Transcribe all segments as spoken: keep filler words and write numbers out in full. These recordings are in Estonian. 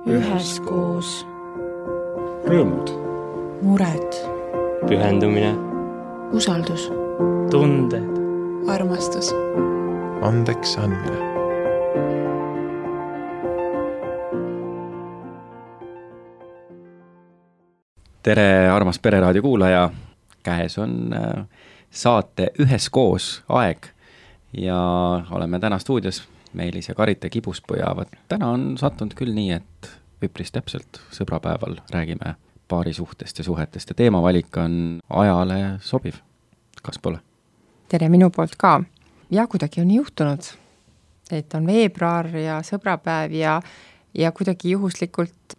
üheskoos. Rõõmud. Mured. Pühendumine. Usaldus. Tunded. Armastus. Andeks andmine. Tere, armas Pereraadio kuulaja. Käes on saate Üheskoos aeg ja oleme täna stuudios Meelis ja Karite Kibuspuu ja täna on sattunud küll nii, et üpris täpselt sõbrapäeval räägime paari suhtest ja suhetest ja teemavalik on ajale sobiv. Kas pole? Tere minu poolt ka. Ja kuidagi on juhtunud, et on veebruar ja sõbrapäev ja, ja kuidagi juhuslikult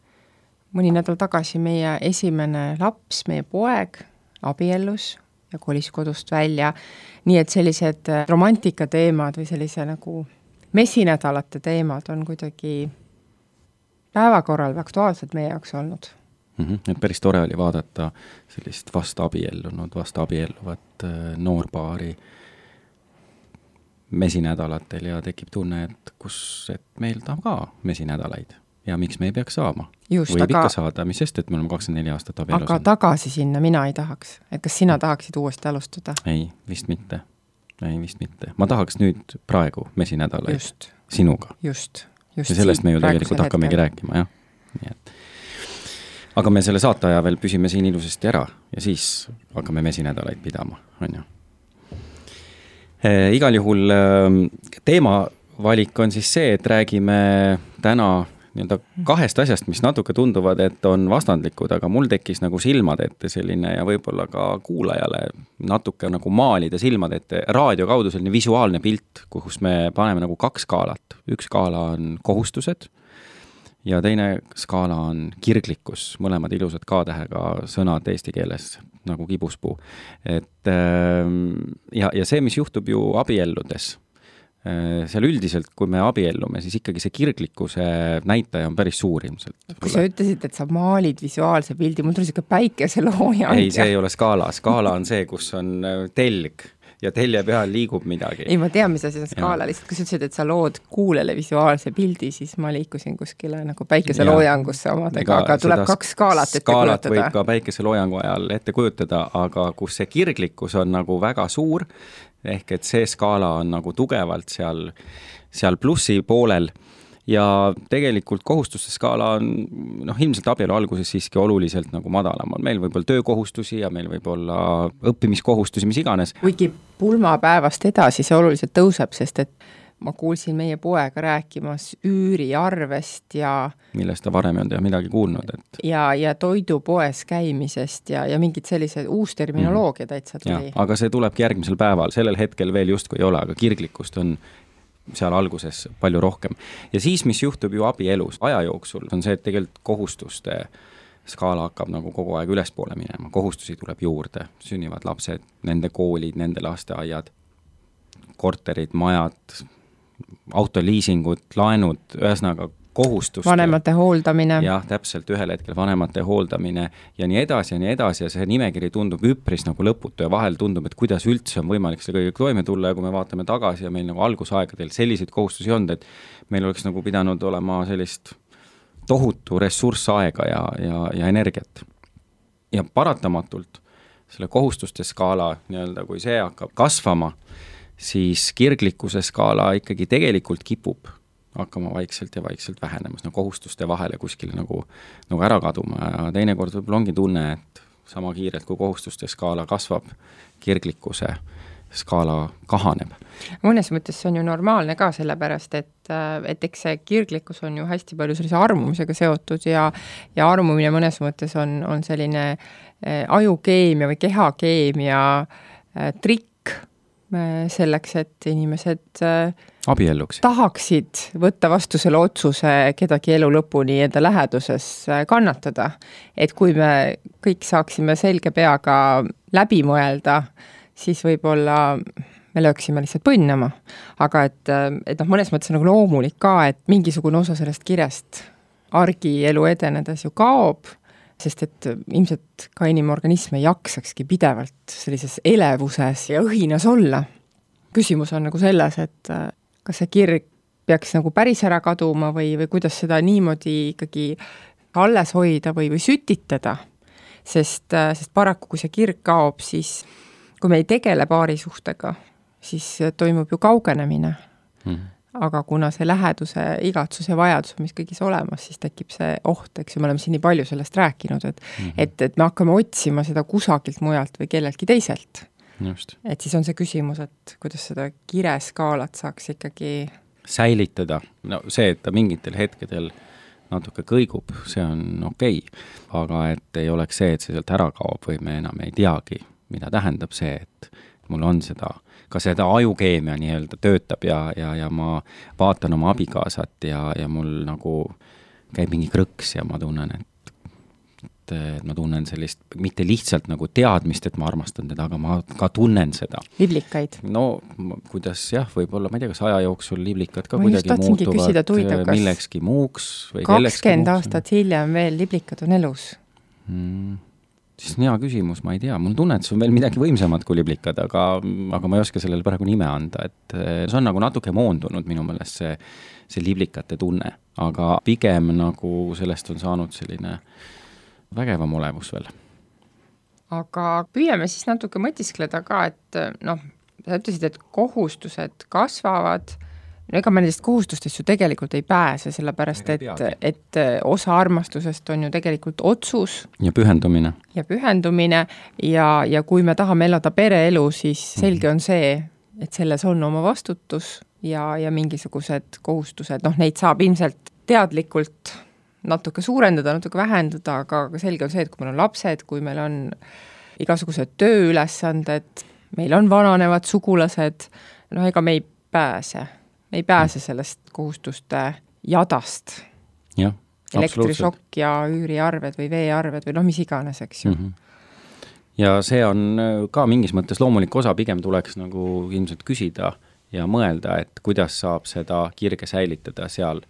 mõni nädal tagasi meie esimene laps, meie poeg, abiellus ja kolis kodust välja. Nii et sellised romantika teemad või sellise nagu mesinädalate teemad on kuidagi päevakorral või aktuaalsed meie jaoks olnud. Mm-hmm. Et päris tore oli vaadata sellist vast abiellunud, vast abielluvat noorpaari mesinädalatel ja tekib tunne, et kus et meil tahab ka mesinädalaid ja miks me ei peaks saama. Just, Võib aga, ikka saada, mis sest, et me oleme kakskümmend neli aastat abielus. Aga tagasi sinna mina ei tahaks. Et kas sina tahaksid uuesti alustada? Ei, vist mitte. Ei, vist mitte. Ma tahaks nüüd praegu mesinädalaid just. Sinuga. Just, just. Ja sellest me ju tegelikult hakkamegi rääkima, jah. Nii et. Aga me selle saate aja veel püsime siin ilusasti ära ja siis hakkame mesinädalaid pidama, on ju. E, igal juhul teemavalik on siis see, et räägime täna nii-öelda kahest asjast, mis natuke tunduvad, et on vastandlikud, aga mul tekkis nagu silmad ette selline ja võib-olla ka kuulajale natuke nagu maalida silmad ette raadio kaudu selline visuaalne pilt, kus me paneme nagu kaks skaalat. Üks skaala on kohustused ja teine skaala on kirglikkus, mõlemad ilusad K-tähega sõnad eesti keeles nagu kibuspuu. Et, ja, ja see, mis juhtub ju abielludes, seal üldiselt, kui me abiellume, siis ikkagi see kirglikkuse näitaja on päris suur ilmselt. Kui sa ütlesid, et sa maalid visuaalse pildi, mul tuli siuke päikeseloojang. Ei, see ei ole skaala. Skaala on see, kus on telg ja telje peal liigub midagi. Ei, ma tean, mis asi on skaala. Lihtsalt, kui sa ütlesid, et sa lood kuulele visuaalse pildi, siis ma liikusin kuskile nagu päikeseloojangusse omadega, aga tuleb kaks skaalat ette skaalat kujutada. Võib ka päikeseloojangu ajal ette kujutada, aga kus see kirglikkus on nagu väga suur, ehk et see skaala on nagu tugevalt seal, seal plussi poolel ja tegelikult kohustuste skaala on noh, ilmselt abielu alguses siiski oluliselt nagu madalam. Meil võib olla töökohustusi ja meil võib olla õppimiskohustusi, mis iganes. Kuigi pulmapäevast edasi see oluliselt tõuseb, sest et ma kuulsin meie poega rääkimas üüriarvest ja millest ta varem on ja midagi kuulnud. Et... Ja, ja toidupoes käimisest ja, ja mingid sellised uus terminoloogia täitsa tuli. Ja, aga see tulebki järgmisel päeval. Sellel hetkel veel justkui ei ole, aga kirglikkust on seal alguses palju rohkem. Ja siis, mis juhtub ju abielus aja jooksul, on see, et tegelikult kohustuste skaala hakkab nagu kogu aeg ülespoole minema. Kohustusi tuleb juurde, sünnivad lapsed, nende koolid, nende lasteaiad, korterid, majad, autoliisingud, laenud, ühesõnaga kohustust. Vanemate hooldamine. Jah, täpselt ühel hetkel vanemate hooldamine ja nii edasi ja nii edasi ja see nimekiri tundub üpris nagu lõputu ja vahel tundub, et kuidas üldse on võimalik see kõige toime tulla ja kui me vaatame tagasi ja meil nagu algusaegadel selliseid kohustusi on, et meil oleks nagu pidanud olema sellist tohutu ressursaega ja, ja, ja energiat. Ja paratamatult selle kohustuste skaala, nii-öelda, kui see hakkab kasvama, siis kirglikkuse skaala ikkagi tegelikult kipub hakkama vaikselt ja vaikselt vähenemas, no kohustuste vahele kuskile nagu, nagu ära kaduma ja teinekord võib-olla ongi tunne, et sama kiirelt kui kohustuste skaala kasvab, kirglikkuse skaala kahaneb. Mõnes mõttes see on ju normaalne ka sellepärast, et, et eks see kirglikkus on ju hästi palju sellise armumisega seotud ja, ja armumine mõnes mõttes on, on selline ajukeemia või kehakeemia trikk selleks, et inimesed abielluks tahaksid võtta vastu selle otsuse kedagi elu lõpuni enda läheduses kannatada. Et kui me kõik saaksime selge peaga läbi mõelda, siis võib-olla me lööksime lihtsalt põnnama. Aga et, et noh, mõnes mõttes on nagu loomulik ka, et mingisugune osa sellest kirest argielu edenedes ju kaob, sest et ilmselt ka inimorganism ei jaksakski pidevalt sellises elevuses ja õhinas olla. Küsimus on nagu selles, et kas see kirg peaks nagu päris ära kaduma või, või kuidas seda niimoodi ikkagi alles hoida või, või sütitada, sest, sest paraku, kui see kirg kaob, siis kui me ei tegele paarisuhtega, siis toimub ju kaugenemine. Mm. Aga kuna see läheduse, igatsus ja vajadus on mis kõigis olemas, siis tekib see oht, eks ju, me oleme siin nii palju sellest rääkinud, et, mm-hmm. et, et me hakkame otsima seda kusagilt mujalt või kelleltki teiselt. Just. Et siis on see küsimus, et kuidas seda kireskaalat saaks ikkagi säilitada. No see, et ta mingitel hetkedel natuke kõigub, see on okei, aga et ei oleks see, et see sealt ära kaob või me enam ei teagi, mida tähendab see, et mul on seda ka seda ajukeemia nii-öelda töötab ja, ja, ja ma vaatan oma abikaasat ja, ja mul nagu käib mingi krõks ja ma tunnen, et, et, et ma tunnen sellist, mitte lihtsalt nagu teadmist, et ma armastan teda, aga ma ka tunnen seda. Liblikaid? No kuidas jah, võib-olla, ma ei tea, kas aja jooksul liblikad ka ma kuidagi muutuvad tuida, millekski muuks või kakskümmend aastat hiljem veel liblikad on elus? Hmm. Siis on hea küsimus, ma ei tea, mul tunne, et see on veel midagi võimsamad kui liblikad, aga, aga ma ei oska sellele praegu nime anda, et see on nagu natuke moondunud minu meelest see, see liblikate tunne, aga pigem nagu sellest on saanud selline vägevam olevus veel. Aga püüame siis natuke mõtiskleda ka, et noh, sa ütlesid, et kohustused kasvavad, no ega me nendest kohustustest ju tegelikult ei pääse, sellepärast et, et osa armastusest on ju tegelikult otsus. Ja pühendumine. Ja pühendumine ja, ja kui me tahame elada pereelu, siis selge on see, et selles on oma vastutus ja, ja mingisugused kohustused, noh neid saab ilmselt teadlikult natuke suurendada, natuke vähendada, aga selge on see, et kui meil on lapsed, kui meil on igasugused tööülesanded, meil on vananevad sugulased, no ega me ei pääse. Me ei pääse sellest kohustuste jadast. Ja, elektrisokk ja üüriarved või veearved või noh, mis iganes, eks ju. Mm-hmm. Ja see on ka mingis mõttes loomulik osa, pigem tuleks nagu ilmselt küsida ja mõelda, et kuidas saab seda kirge säilitada seal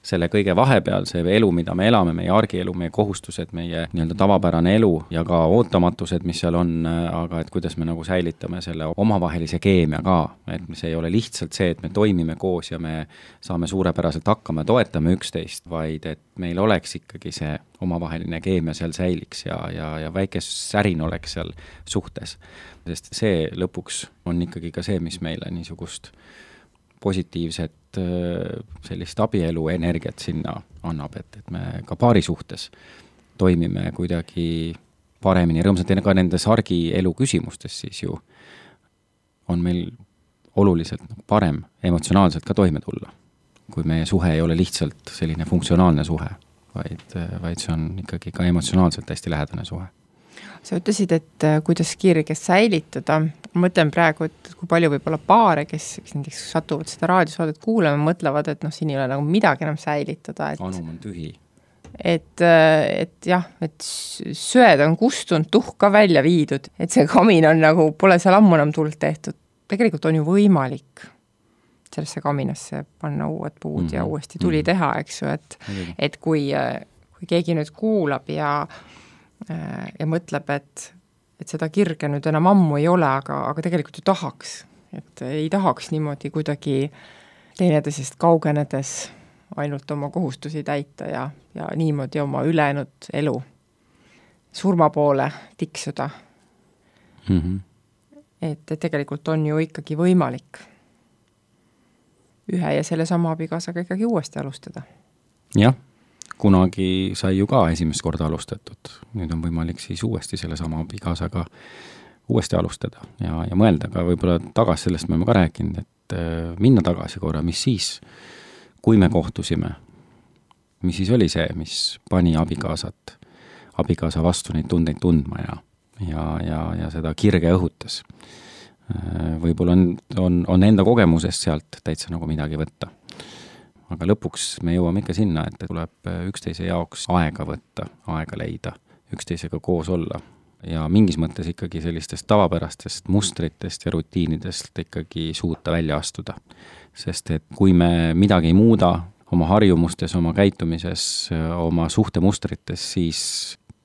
selle kõige vahepeal, see elu, mida me elame, meie argielu, meie kohustused, meie nii-öelda tavapärane elu ja ka ootamatused, mis seal on, aga et kuidas me nagu säilitame selle omavahelise keemia ka, et see ei ole lihtsalt see, et me toimime koos ja me saame suurepäraselt hakkama ja toetame üksteist, vaid et meil oleks ikkagi see omavaheline keemia seal säiliks ja, ja, ja väike särin oleks seal suhtes. Sest see lõpuks on ikkagi ka see, mis meile niisugust positiivset sellist abielu energiat sinna annab, et, et me ka paari suhtes toimime kuidagi paremini, rõõmsalt ka nendes argielu küsimustes siis ju on meil oluliselt parem emotsionaalselt ka toime tulla, kui meie suhe ei ole lihtsalt selline funktsionaalne suhe, vaid, vaid see on ikkagi ka emotsionaalselt hästi lähedane suhe. Sa ütlesid, et kuidas kirge säilitada. Ma mõtlen praegu, et kui palju võib-olla paare, kes, kes näiteks satuvad seda raadiosaadet kuulama, mõtlevad, et noh, siin ei ole nagu midagi enam säilitada. Et, anum on tühi. Et, et jah, et söed on kustunud, tuhk ka välja viidud, et see kamin on nagu, pole seal ammu enam tuld tehtud. Tegelikult on ju võimalik sellesse kaminasse panna uued puud mm-hmm. ja uuesti tuli teha, eks ju, et, mm-hmm. et kui, kui keegi nüüd kuulab ja ja mõtleb, et, et seda kirge nüüd enam ammu ei ole, aga, aga tegelikult ju tahaks, et ei tahaks niimoodi kuidagi teineteisest kaugenedes ainult oma kohustusi täita ja, ja niimoodi oma ülejäänud elu surma poole tiksuda. Mm-hmm. Et, et tegelikult on ju ikkagi võimalik ühe ja selle sama abikaasaga ikkagi uuesti alustada. Jah. Kunagi sai ju ka esimest korda alustatud. Nüüd on võimalik siis uuesti selle sama abikaasaga uuesti alustada ja, ja mõelda ka võib-olla tagasi, sellest me oleme ka rääkinud, et minna tagasi korra, mis siis, kui me kohtusime, mis siis oli see, mis pani abikaasat, abikaasa vastu neid tundeid tundma ja, ja, ja, ja seda kirge õhutas. Võib-olla on, on, on enda kogemusest sealt täitsa nagu midagi võtta. Aga lõpuks me jõuame ikka sinna, et tuleb üksteise jaoks aega võtta, aega leida, üksteisega koos olla ja mingis mõttes ikkagi sellistest tavapärastest mustritest ja rutiinidest ikkagi suuta välja astuda. Sest et kui me midagi ei muuda oma harjumustes, oma käitumises, oma suhtemustrites, siis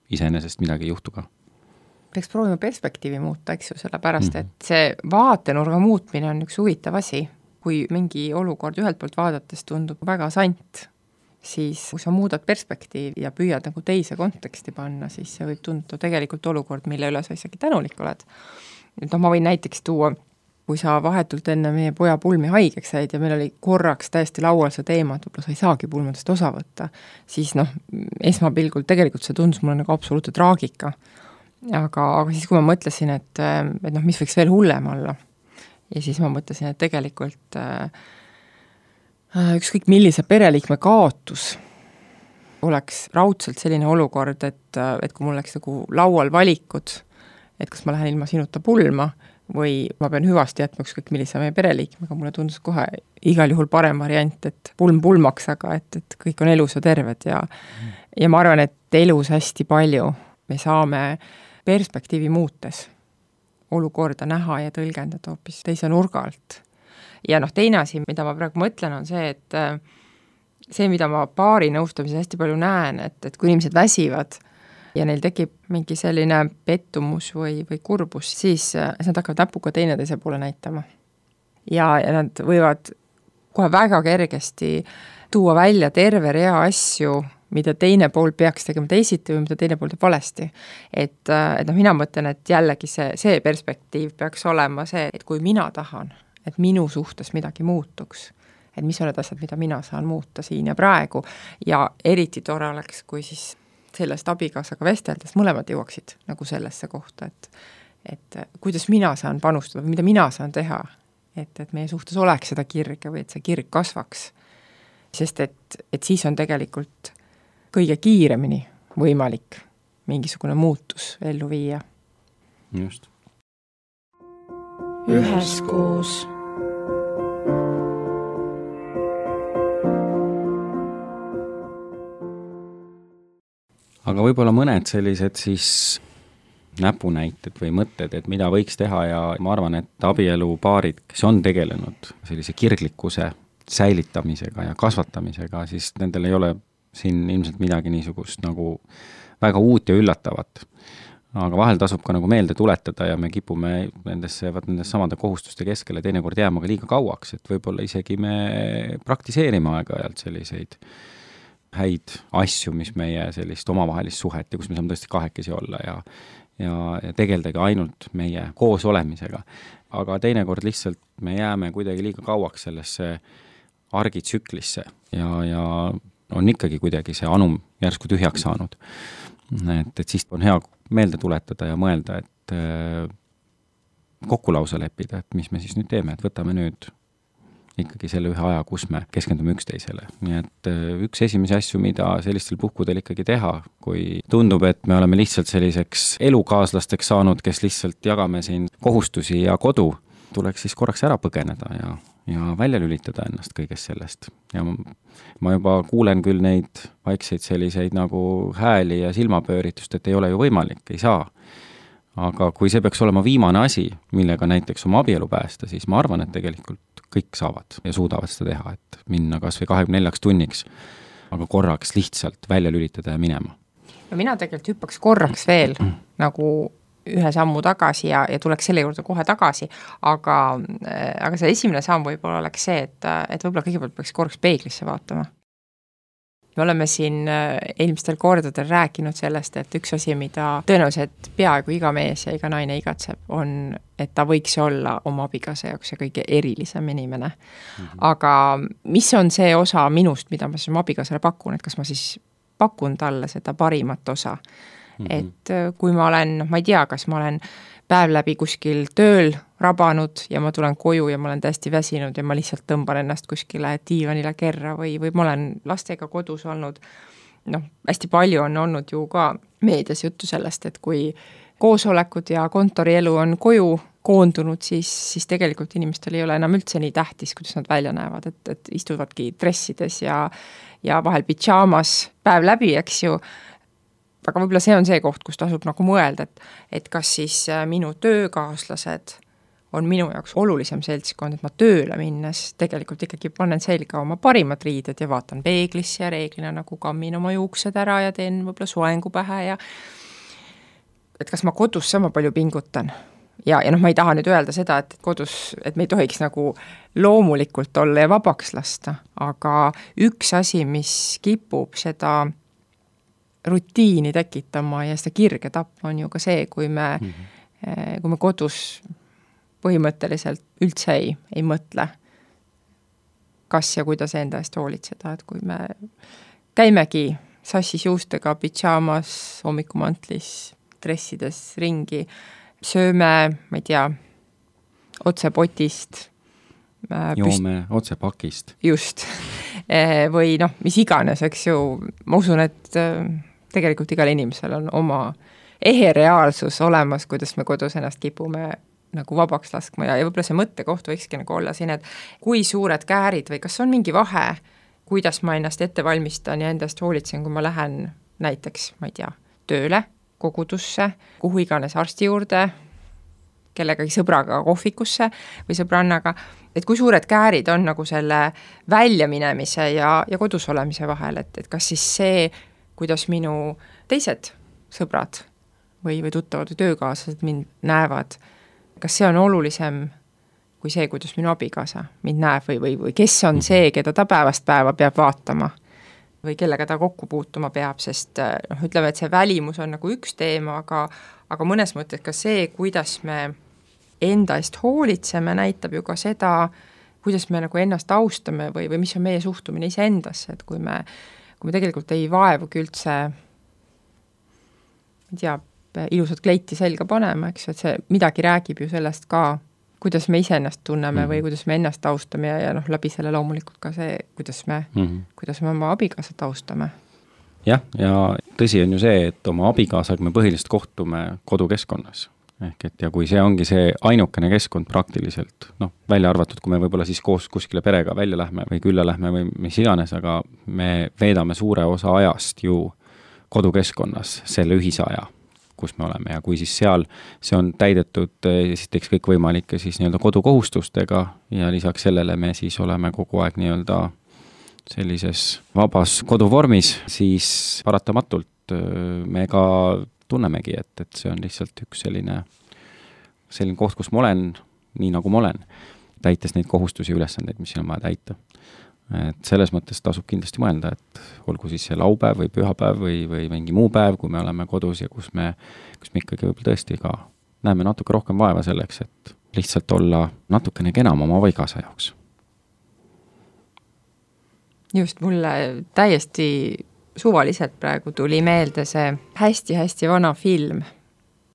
iseenesest midagi ei juhtu ka. Peaks proovima perspektiivi muuta, eks ju, sellepärast, mm-hmm. et see vaatenurga muutmine on üks huvitav asi. kui mingi olukord ühelt poolt vaadates tundub väga sant, siis kui sa muudad perspektiivi ja püüad nagu teise konteksti panna, siis see võib tunduda tegelikult olukord, mille üle sa isegi tänulik oled. No ma võin näiteks tuua, kui sa vahetult enne meie poja pulmi haigeks said ja meil oli korraks täiesti laual see teema, et võib-olla sa ei saagi pulmadest osa võtta, siis noh, esmapilgul tegelikult see tundus mulle nagu absoluutne traagika. Aga, aga siis, kui ma mõtlesin, et, et noh, mis võiks veel hullem olla, ja siis ma mõtlesin, et tegelikult äh, ükskõik millise pereliikme kaotus oleks raudselt selline olukord, et, et kui mul oleks nagu laual valikud, et kas ma lähen ilma sinuta pulma või ma pean hüvasti jätma ükskõik millise meie pereliikmega, mulle tundus kohe igal juhul parem variant, et pulm pulmaks, aga et, et kõik on elus ja terved ja, mm. ja ma arvan, et elus hästi palju me saame perspektiivi muutes olukorda näha ja tõlgendada hoopis teise nurga alt. Ja noh, teine asi, mida ma praegu mõtlen, on see, et see, mida ma paari nõustamises hästi palju näen, et, et kui inimesed väsivad ja neil tekib mingi selline pettumus või, või kurbus, siis nad hakkavad näpuga teineteise poole näitama. Ja, ja nad võivad kohe väga kergesti tuua välja terve rea asju, mida teine pool peaks tegema teisiti või mida teine pool teeb valesti. Et, et noh, mina mõtlen, et jällegi see, see perspektiiv peaks olema see, et kui mina tahan, et minu suhtes midagi muutuks, et mis on need asjad, mida mina saan muuta siin ja praegu, ja eriti tore oleks, kui siis sellest abikaasaga vesteldes mõlemad jõuaksid nagu sellesse kohta, et, et kuidas mina saan panustada või mida mina saan teha, et, et meie suhtes oleks seda kirge või et see kirg kasvaks. Sest et, et siis on tegelikult kõige kiiremini võimalik mingisugune muutus ellu viia. Just. Üheskoos. Aga võib-olla mõned sellised siis näpunäited või mõtted, et mida võiks teha ja ma arvan, et abielupaarid, kes on tegelenud sellise kirglikkuse säilitamisega ja kasvatamisega, siis nendel ei ole siin ilmselt midagi niisugust nagu väga uut ja üllatavat. Aga vahel tasub ka nagu meelde tuletada ja me kipume nendesse, vaat nendesse samade kohustuste keskele teinekord jääma ka liiga kauaks, et võib-olla isegi me praktiseerime aeg-ajalt selliseid häid asju, mis meie sellist omavahelist suhet ja kus me saame tõesti kahekesi olla ja, ja, ja tegeldagi ainult meie koos olemisega. Aga teinekord lihtsalt me jääme kuidagi liiga kauaks sellesse argitsüklisse ja, ja on ikkagi kuidagi see anum järsku tühjaks saanud. Et, et siis on hea meelde tuletada ja mõelda, et äh, kokkulausa leppida, et mis me siis nüüd teeme, et võtame nüüd ikkagi selle ühe aja, kus me keskendume üksteisele. Nii et äh, üks esimesi asju, mida sellistel puhkudel ikkagi teha, kui tundub, et me oleme lihtsalt selliseks elukaaslasteks saanud, kes lihtsalt jagame siin kohustusi ja kodu, tuleks siis korraks ära põgeneda ja ja välja lülitada ennast kõigest sellest. Ja ma juba kuulen küll neid vaikseid selliseid nagu hääli ja silmapööritust, et ei ole ju võimalik, ei saa. Aga kui see peaks olema viimane asi, millega näiteks oma abielu päästa, siis ma arvan, et tegelikult kõik saavad ja suudavad seda teha, et minna kas või kahekümne neljaks tunniks, aga korraks lihtsalt välja lülitada ja minema. No mina tegelikult hüppaks korraks veel nagu ühe sammu tagasi ja, ja tuleks selle juurde kohe tagasi, aga, aga see esimene samm võib-olla oleks see, et, et võib-olla kõigepealt peaks korraks peeglisse vaatama. Me oleme siin eelmistel kordadel rääkinud sellest, et üks asi, mida tõenäoliselt peaaegu iga mees ja iga naine igatseb, on, et ta võiks olla oma abikaasa jaoks see kõige erilisem inimene. Mm-hmm. Aga mis on see osa minust, mida ma siis oma abikaasale pakun, et kas ma siis pakun talle seda parimat osa? Et kui ma olen, ma ei tea, kas ma olen päev läbi kuskil tööl rabanud ja ma tulen koju ja ma olen täiesti väsinud ja ma lihtsalt tõmban ennast kuskile diivanile kerra või, või ma olen lastega kodus olnud. Noh, hästi palju on olnud ju ka meedias juttu sellest, et kui koosolekud ja kontorielu on koju koondunud, siis, siis tegelikult inimestel ei ole enam üldse nii tähtis, kuidas nad välja näevad, et, et istuvadki dressides ja, ja vahel pidžaamas päev läbi, eks ju. Aga võib-olla see on see koht, kus tasub nagu mõelda, et, et kas siis minu töökaaslased on minu jaoks olulisem seltskond, et ma tööle minnes tegelikult ikkagi panen selga oma parimad riided ja vaatan peeglisse ja reeglina nagu kammin oma juuksed ära ja teen võib-olla soengu pähe ja et kas ma kodus sama palju pingutan ja, ja noh, ma ei taha nüüd öelda seda, et kodus, et me ei tohiks nagu loomulikult olla ja vabaks lasta, aga üks asi, mis kipub seda rutiini tekitama ja seda kirge tapma, on ju ka see, kui me mm, -hmm. kui me kodus põhimõtteliselt üldse ei, ei mõtle, kas ja kuidas enda eest hoolitseda, et kui me käimegi sassis juustega, pidžaamas, hommikumantlis, dressides ringi, sööme, ma ei tea, otse potist. Joome püst... otse pakist. Just. Või noh, mis iganes, eks ju, ma usun, et tegelikult igal inimesel on oma ehe reaalsus olemas, kuidas me kodus ennast kipume nagu vabaks laskma ja, ja võib-olla see mõttekoht võikski nagu olla siin, et kui suured käärid või kas on mingi vahe, kuidas ma ennast ette valmistan ja endast hoolitsen, kui ma lähen näiteks, ma ei tea, tööle, kogudusse, kuhu iganes arsti juurde, kellegagi sõbraga kohvikusse või sõbrannaga, et kui suured käärid on nagu selle väljaminemise ja, ja kodus olemise vahel, et, et kas siis see, kuidas minu teised sõbrad või, või tuttavad või töökaaslased mind näevad, kas see on olulisem kui see, kuidas minu abikaasa mind näeb või, või, või kes on see, keda ta päevast päeva peab vaatama või kellega ta kokku puutuma peab, sest noh, ütleme, et see välimus on nagu üks teema, aga, aga mõnes mõttes ka see, kuidas me enda eest hoolitseme, näitab ju ka seda, kuidas me nagu ennast austame või, või mis on meie suhtumine iseendasse, et kui me, kui me tegelikult ei vaevugi üldse, ei tea, ilusat kleiti selga panema, eks, et see midagi räägib ju sellest ka, kuidas me ise ennast tunneme mm -hmm. või kuidas me ennast austame ja, ja noh, läbi selle loomulikult ka see, kuidas me, mm -hmm. kuidas me oma abikaasat austame. Jah, ja tõsi on ju see, et oma abikaasaga me põhiliselt kohtume kodukeskkonnas. Ehk et ja kui see ongi see ainukene keskkond praktiliselt, noh, välja arvatud, kui me võib-olla siis koos kuskile perega välja lähme või külla lähme või mis iganes, aga me veedame suure osa ajast ju kodukeskkonnas selle ühise aja, kus me oleme ja kui siis seal see on täidetud esiteks kõikvõimalike siis nii-öelda kodukohustustega ja lisaks sellele me siis oleme kogu aeg nii-öelda sellises vabas koduvormis, siis paratamatult me ka tunnemegi, et, et see on lihtsalt üks selline, selline koht, kus ma olen nii, nagu ma olen, täites neid kohustusi ja ülesandeid, mis siin on vaja täita. Et selles mõttes tasub kindlasti mõelda, et olgu siis see laupäev või pühapäev või, või mingi muu päev, kui me oleme kodus ja kus me, kus me ikkagi võib-olla tõesti ka näeme natuke rohkem vaeva selleks, et lihtsalt olla natukene kenam oma abikaasa jaoks. Just mulle täiesti suvaliselt praegu tuli meelde see hästi-hästi vana film,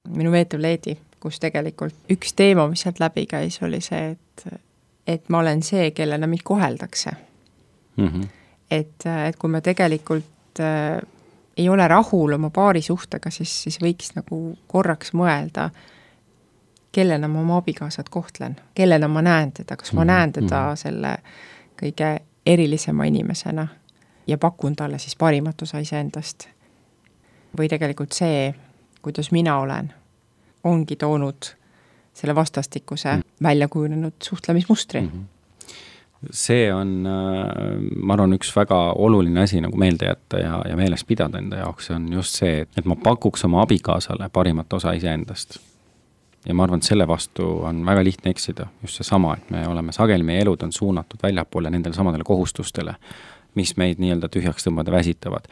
Minu veetav leedi, kus tegelikult üks teema, mis sealt läbi käis, oli see, et, et ma olen see, kellena mind koheldakse. Mm -hmm. et, et kui me tegelikult äh, ei ole rahul oma paarisuhtega, siis, siis võiks nagu korraks mõelda, kellena ma oma abikaasat kohtlen, kellena ma näen teda, kas ma mm -hmm. näen teda selle kõige erilisema inimesena ja pakun talle siis parimat osa iseendast. Või tegelikult see, kuidas mina olen, ongi toonud selle vastastikuse mm. välja kujunenud suhtlemismustri. Mm -hmm. See on, ma arvan, üks väga oluline asi nagu meelde jätta ja, ja meeles pidada enda jaoks, see on just see, et ma pakuks oma abikaasale parimat osa iseendast. Ja ma arvan, et selle vastu on väga lihtne eksida, just see sama, et me oleme sageli, meie elud on suunatud väljapoole nendele samadele kohustustele, mis meid nii-öelda tühjaks tõmbada väsitavad.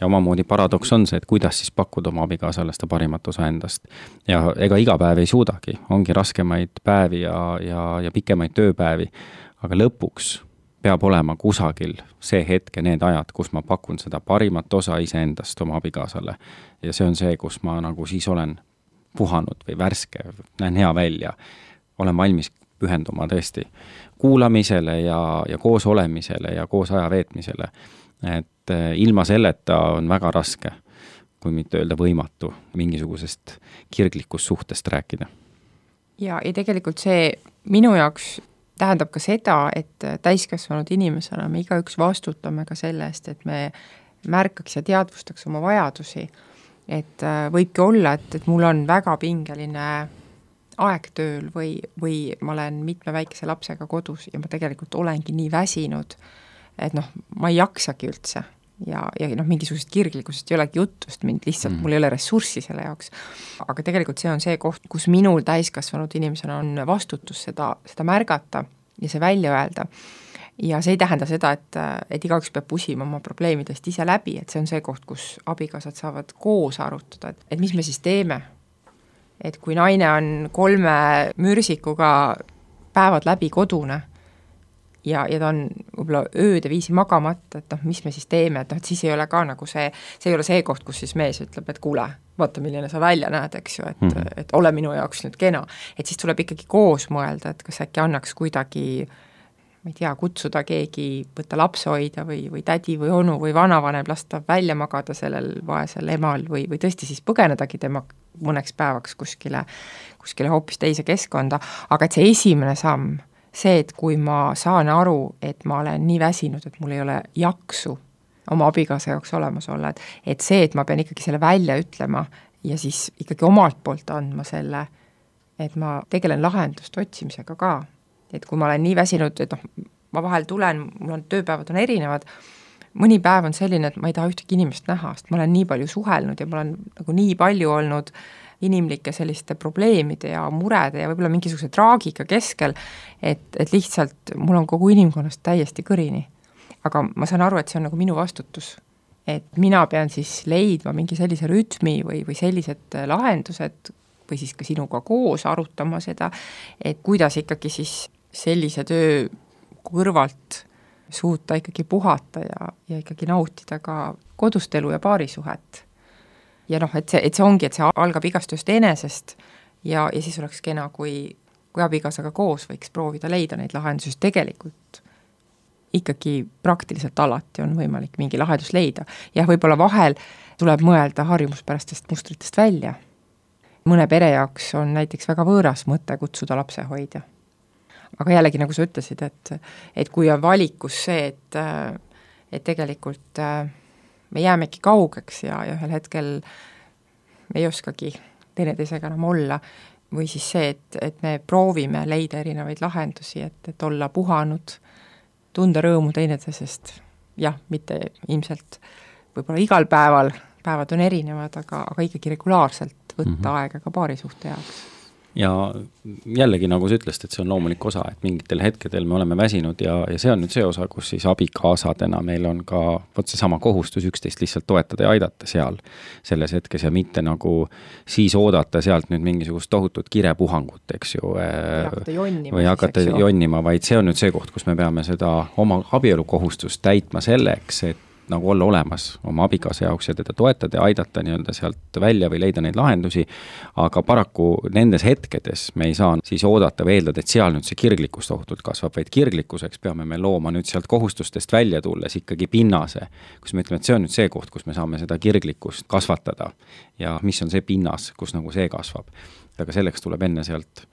Ja omamoodi paradoks on see, et kuidas siis pakkuda oma abikaasale seda parimat osa endast. Ja ega iga päev ei suudagi, ongi raskemaid päevi ja, ja, ja pikemaid tööpäevi, aga lõpuks peab olema kusagil see hetk ja need ajad, kus ma pakun seda parimat osa iseendast oma abikaasale. Ja see on see, kus ma nagu siis olen puhanud või värske, näen hea välja, olen valmis pühenduma tõesti kuulamisele ja, ja koos olemisele ja koos aja veetmisele. Et ilma selleta on väga raske, kui mitte öelda võimatu, mingisugusest kirglikust suhtest rääkida. Ja, ja tegelikult see minu jaoks tähendab ka seda, et täiskasvanud inimesena me igaüks vastutame ka selle eest, et me märkaks ja teadvustaks oma vajadusi. Et võibki olla, et, et mul on väga pingeline aeg tööl või, või ma olen mitme väikese lapsega kodus ja ma tegelikult olengi nii väsinud, et noh, ma ei jaksagi üldse. ja, ja noh, mingisugusest kirglikkusest ei olegi jutust, mind lihtsalt mm. mul ei ole ressurssi selle jaoks. Aga tegelikult see on see koht, kus minul täiskasvanud inimesena on vastutus seda, seda märgata ja see välja öelda. Ja see ei tähenda seda, et, et igaüks peab pusima oma probleemidest ise läbi, et see on see koht, kus abikaasad saavad koos arutada, et, et mis me siis teeme. Et kui naine on kolme mürsikuga päevad läbi kodune ja, ja ta on võib-olla ööde viisi magamata, et noh, mis me siis teeme, et noh, et siis ei ole ka nagu see, see ei ole see koht, kus siis mees ütleb, et kuule, vaata, milline sa välja näed, eks ju, et, mm. et ole minu jaoks nüüd kena. Et siis tuleb ikkagi koos mõelda, et kas äkki annaks kuidagi, ma ei tea, kutsuda keegi, võtta lapsehoidja või, või tädi või onu või vanavanem, lasta välja magada sellel vaesel emal või, või tõesti siis põgenedagi tema mõneks päevaks kuskile, kuskile hoopis teise keskkonda, aga et see esimene samm, see, et kui ma saan aru, et ma olen nii väsinud, et mul ei ole jaksu oma abikaasa jaoks olemas olla, et, et see, et ma pean ikkagi selle välja ütlema ja siis ikkagi omalt poolt andma selle, et ma tegelen lahendust otsimisega ka. Et kui ma olen nii väsinud, et noh, ma vahel tulen, mul on tööpäevad on erinevad, mõni päev on selline, et ma ei taha ühtegi inimest näha, sest ma olen nii palju suhelnud ja ma olen nagu nii palju olnud inimlike selliste probleemide ja murede ja võib-olla mingisuguse traagika keskel, et, et lihtsalt mul on kogu inimkonnast täiesti kõrini. Aga ma saan aru, et see on nagu minu vastutus. Et mina pean siis leidma mingi sellise rütmi või, või sellised lahendused või siis ka sinuga koos arutama seda, et kuidas ikkagi siis sellise töö kõrvalt suuta ikkagi puhata ja, ja ikkagi nautida ka kodust elu ja paarisuhet. Ja noh, et see, et see ongi, et see algab igast just enesest ja, ja siis oleks kena, kui, kui abikaasaga koos võiks proovida leida neid lahendusi, tegelikult ikkagi praktiliselt alati on võimalik mingi lahendus leida. Ja võib-olla vahel tuleb mõelda harjumuspärastest mustritest välja. Mõne pere jaoks on näiteks väga võõras mõte kutsuda lapsehoidja. Aga jällegi, nagu sa ütlesid, et, et kui on valikus see, et, et tegelikult me jäämegi kaugeks ja, ja ühel hetkel me ei oskagi teineteisega enam olla, või siis see, et, et me proovime leida erinevaid lahendusi, et, et olla puhanud, tunda rõõmu teineteisest, jah, mitte ilmselt võib-olla igal päeval, päevad on erinevad, aga, aga ikkagi regulaarselt võtta mm-hmm. aega ka paarisuhte jaoks. Ja jällegi, nagu sa ütlesid, et see on loomulik osa, et mingitel hetkedel me oleme väsinud ja, ja see on nüüd see osa, kus siis abikaasadena meil on ka võt see sama kohustus üksteist lihtsalt toetada ja aidata seal selles hetkes ja mitte nagu siis oodata sealt nüüd mingisugust tohutut kirepuhangut, eks ju, hakata jonnima, või hakata siis, jonnima, vaid see on nüüd see koht, kus me peame seda oma abielukohustust täitma selleks, et nagu olla olemas oma abikaasa jaoks ja teda toetada ja aidata nii-öelda sealt välja või leida neid lahendusi, aga paraku nendes hetkedes me ei saa siis oodata või eeldada, et seal nüüd see kirglikkus tohutult kasvab, vaid kirglikkuseks peame me looma nüüd sealt kohustustest välja tulles ikkagi pinnase, kus me ütleme, et see on nüüd see koht, kus me saame seda kirglikkust kasvatada ja mis on see pinnas, kus nagu see kasvab. Aga selleks tuleb enne sealt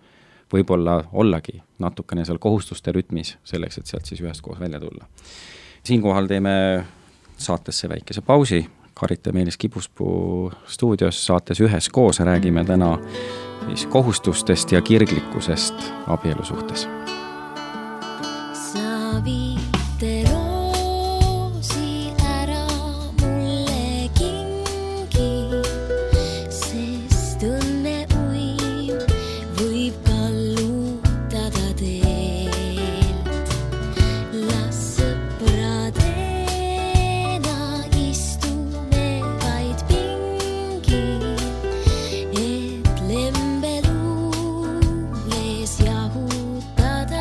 võib-olla ollagi natukene seal kohustuste rütmis selleks, et sealt siis ühest koos välja tulla. Siinkohal teeme saatesse väikese pausi, Karit ja Meelis Kibuspuu stuudios saates ühes koos räägime täna siis kohustustest ja kirglikkusest abielu suhtes. Sa viite roosi ära mulle kingi, sest õnne uim võib kallutada teelt. Las sõprade jahutada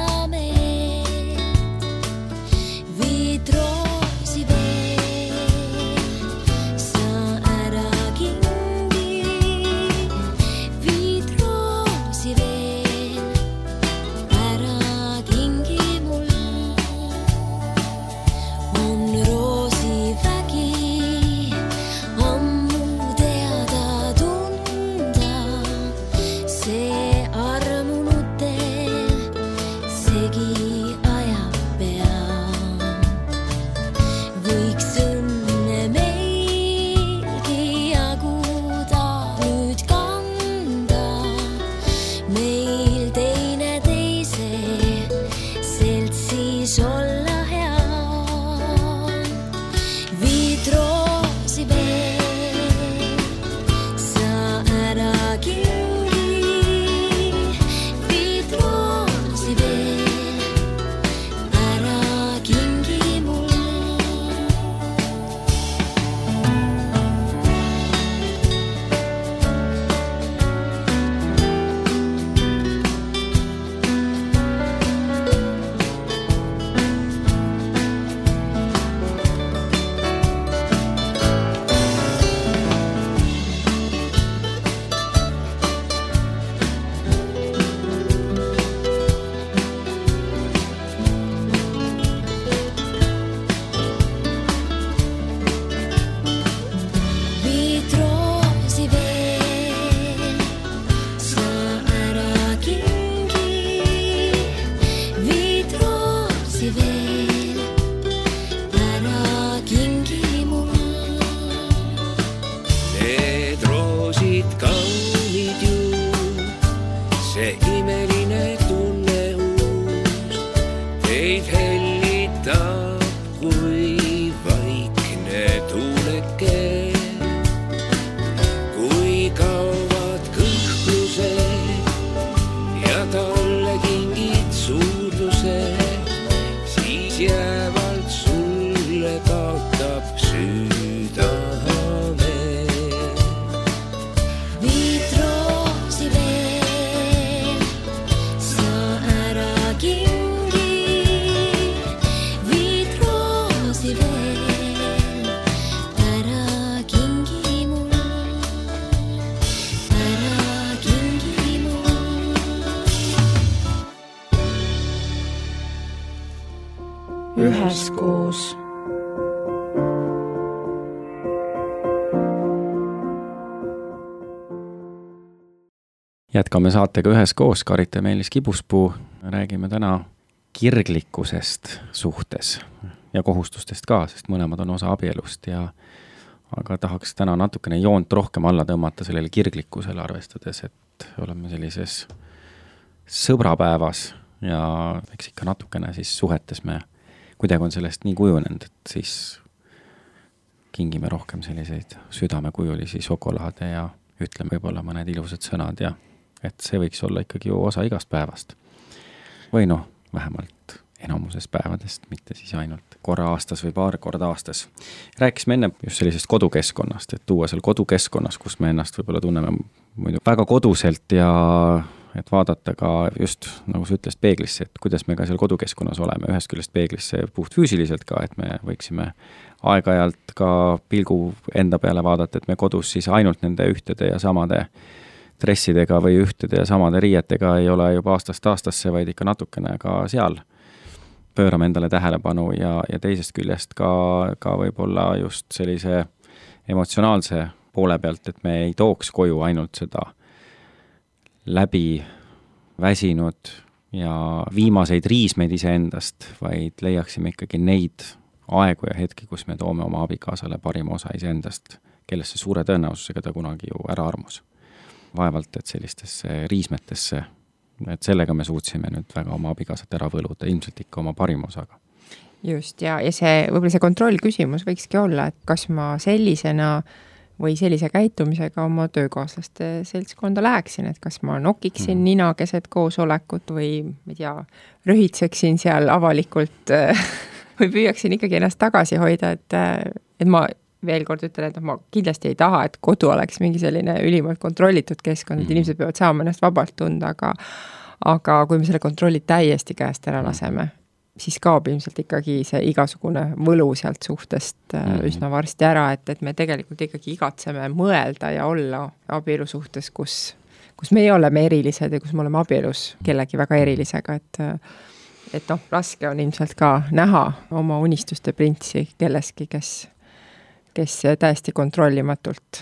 üheskoos. Jätkame saatega üheskoos, Karit ja Meelis Kibuspuu. Räägime täna kirglikkusest suhtes ja kohustustest ka, sest mõlemad on osa abielust ja aga tahaks täna natukene joont rohkem alla tõmmata sellele kirglikkusele, arvestades, et oleme sellises sõbrapäevas ja eks ikka natukene siis suhetes me kuidagi on sellest nii kujunenud, et siis kingime rohkem selliseid südamekujulisi šokolaade ja ütleme võib-olla mõned ilusad sõnad ja et see võiks olla ikkagi ju osa igast päevast. Või noh, vähemalt enamuses päevadest, mitte siis ainult korra aastas või paar korda aastas. Rääkisime enne just sellisest kodukeskkonnast, et tuua seal kodukeskkonnas, kus me ennast võib-olla tunneme muidu väga koduselt ja et vaadata ka just, nagu sa ütlesid, peeglisse, et kuidas me ka seal kodukeskkonnas oleme, ühest küljest peeglisse puht füüsiliselt ka, et me võiksime aeg-ajalt ka pilgu enda peale vaadata, et me kodus siis ainult nende ühtede ja samade dressidega või ühtede ja samade riietega ei ole juba aastast aastasse, vaid ikka natukene ka seal pöörame endale tähelepanu ja, ja teisest küljest ka, ka võib-olla just sellise emotsionaalse poole pealt, et me ei tooks koju ainult seda läbi väsinud ja viimaseid riismeid iseendast, vaid leiaksime ikkagi neid aegu ja hetki, kus me toome oma abikaasale parima osa iseendast, kellesse suure tõenäosusega ta kunagi ju ära armus. Vaevalt, et sellistesse riismetesse, et sellega me suutsime nüüd väga oma abikaasat ära võluda, ilmselt ikka oma parima osaga. Just, ja, ja see, võib-olla see kontroll küsimus võikski olla, et kas ma sellisena või sellise käitumisega oma töökaaslaste seltskonda läheksin, et kas ma nokiksin mm. nina keset koosolekut või, ma ei tea, rühitseksin seal avalikult või püüaksin ikkagi ennast tagasi hoida, et, et ma veel kord ütlen, et ma kindlasti ei taha, et kodu oleks mingi selline ülimalt kontrollitud keskkond, et inimesed peavad saama ennast vabalt tunda, aga, aga kui me selle kontrolli täiesti käest ära laseme, siis kaob ilmselt ikkagi see igasugune võlu sealt suhtest üsna varsti ära, et, et me tegelikult ikkagi igatseme mõelda ja olla abielu suhtes, kus, kus me ei ole me erilised ja kus me oleme abielus kellegi väga erilisega, et et noh, raske on ilmselt ka näha oma unistuste printsi kelleski, kes kes täiesti kontrollimatult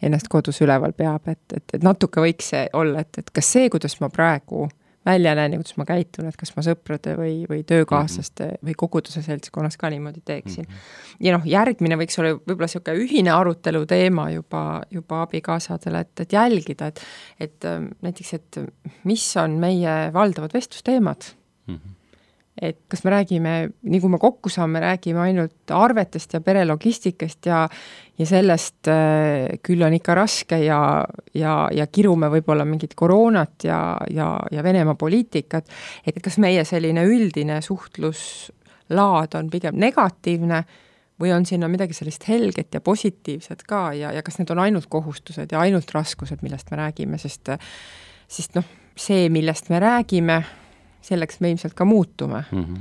ennast kodus üleval peab, et, et, et natuke võiks see olla, et, et kas see, kuidas ma praegu välja näen ja kuidas ma käitun, et kas ma sõprade või, või töökaaslaste mm -hmm. või koguduse seltskonnas ka niimoodi teeksin. Mm -hmm. Ja noh, järgmine võiks olla võib-olla selline ühine arutelu teema juba, juba abikaasadele, et, et jälgida, et, et näiteks, et mis on meie valdavad vestlusteemad. Mm -hmm. Et kas me räägime, nii kui me kokku saame, räägime ainult arvetest ja perelogistikast ja, ja sellest äh, küll on ikka raske ja, ja, ja kirume võib-olla mingit koroonat ja, ja, ja Venemaa poliitikat, et kas meie selline üldine suhtluslaad on pigem negatiivne või on sinna midagi sellist helget ja positiivset ka ja, ja kas need on ainult kohustused ja ainult raskused, millest me räägime, sest, sest noh, see, millest me räägime, selleks me ilmselt ka muutume. Mm -hmm.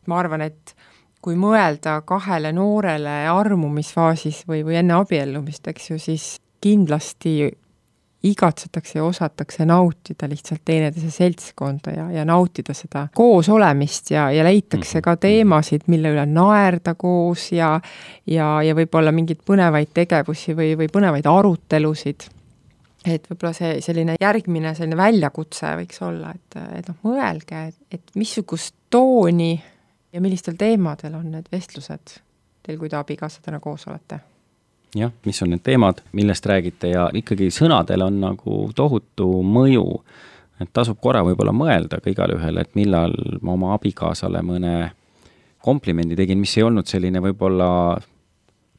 Ma arvan, et kui mõelda kahele noorele armumisfaasis või, või enne abiellumist, eks ju, siis kindlasti igatsetakse ja osatakse nautida lihtsalt teineteise seltskonda ja, ja nautida seda koos olemist ja, ja leitakse ka teemasid, mille üle naerda koos ja, ja, ja võib-olla mingid põnevaid tegevusi või, või põnevaid arutelusid. Et võib-olla see selline järgmine selline väljakutse võiks olla, et, et noh, mõelge, et, et missugust tooni ja millistel teemadel on need vestlused teil, kui te abikaasadena koos olete? Jah, mis on need teemad, millest räägite ja ikkagi sõnadel on nagu tohutu mõju, et tasub korra võib-olla mõelda ka igal ühel, et millal ma oma abikaasale mõne komplimendi tegin, mis ei olnud selline võib-olla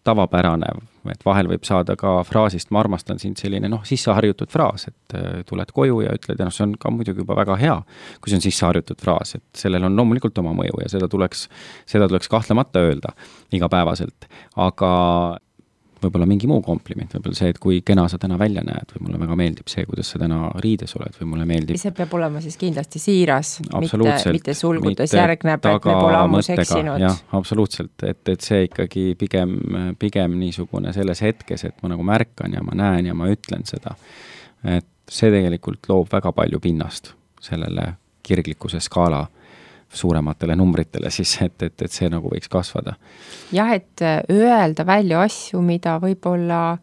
tavapärane, et vahel võib saada ka fraasist ma armastan sind selline noh, sisseharjutud fraas, et tuled koju ja ütled, ja noh, see on ka muidugi juba väga hea, kui see on sisseharjutud fraas, et sellel on loomulikult oma mõju ja seda tuleks, seda tuleks kahtlemata öelda igapäevaselt, aga võib-olla mingi muu kompliment, võib-olla see, et kui kena sa täna välja näed või mulle väga meeldib see, kuidas sa täna riides oled või mulle meeldib. See peab olema siis kindlasti siiras, mitte, mitte sulgudes järgneb, et me pole ammu seksinud. Jah, absoluutselt, et, et see ikkagi pigem, pigem niisugune selles hetkes, et ma nagu märkan ja ma näen ja ma ütlen seda, et see tegelikult loob väga palju pinnast sellele kirglikkuse skaala suurematele numbritele siis, et, et, et see nagu võiks kasvada. Jah, et öelda välja asju, mida võib-olla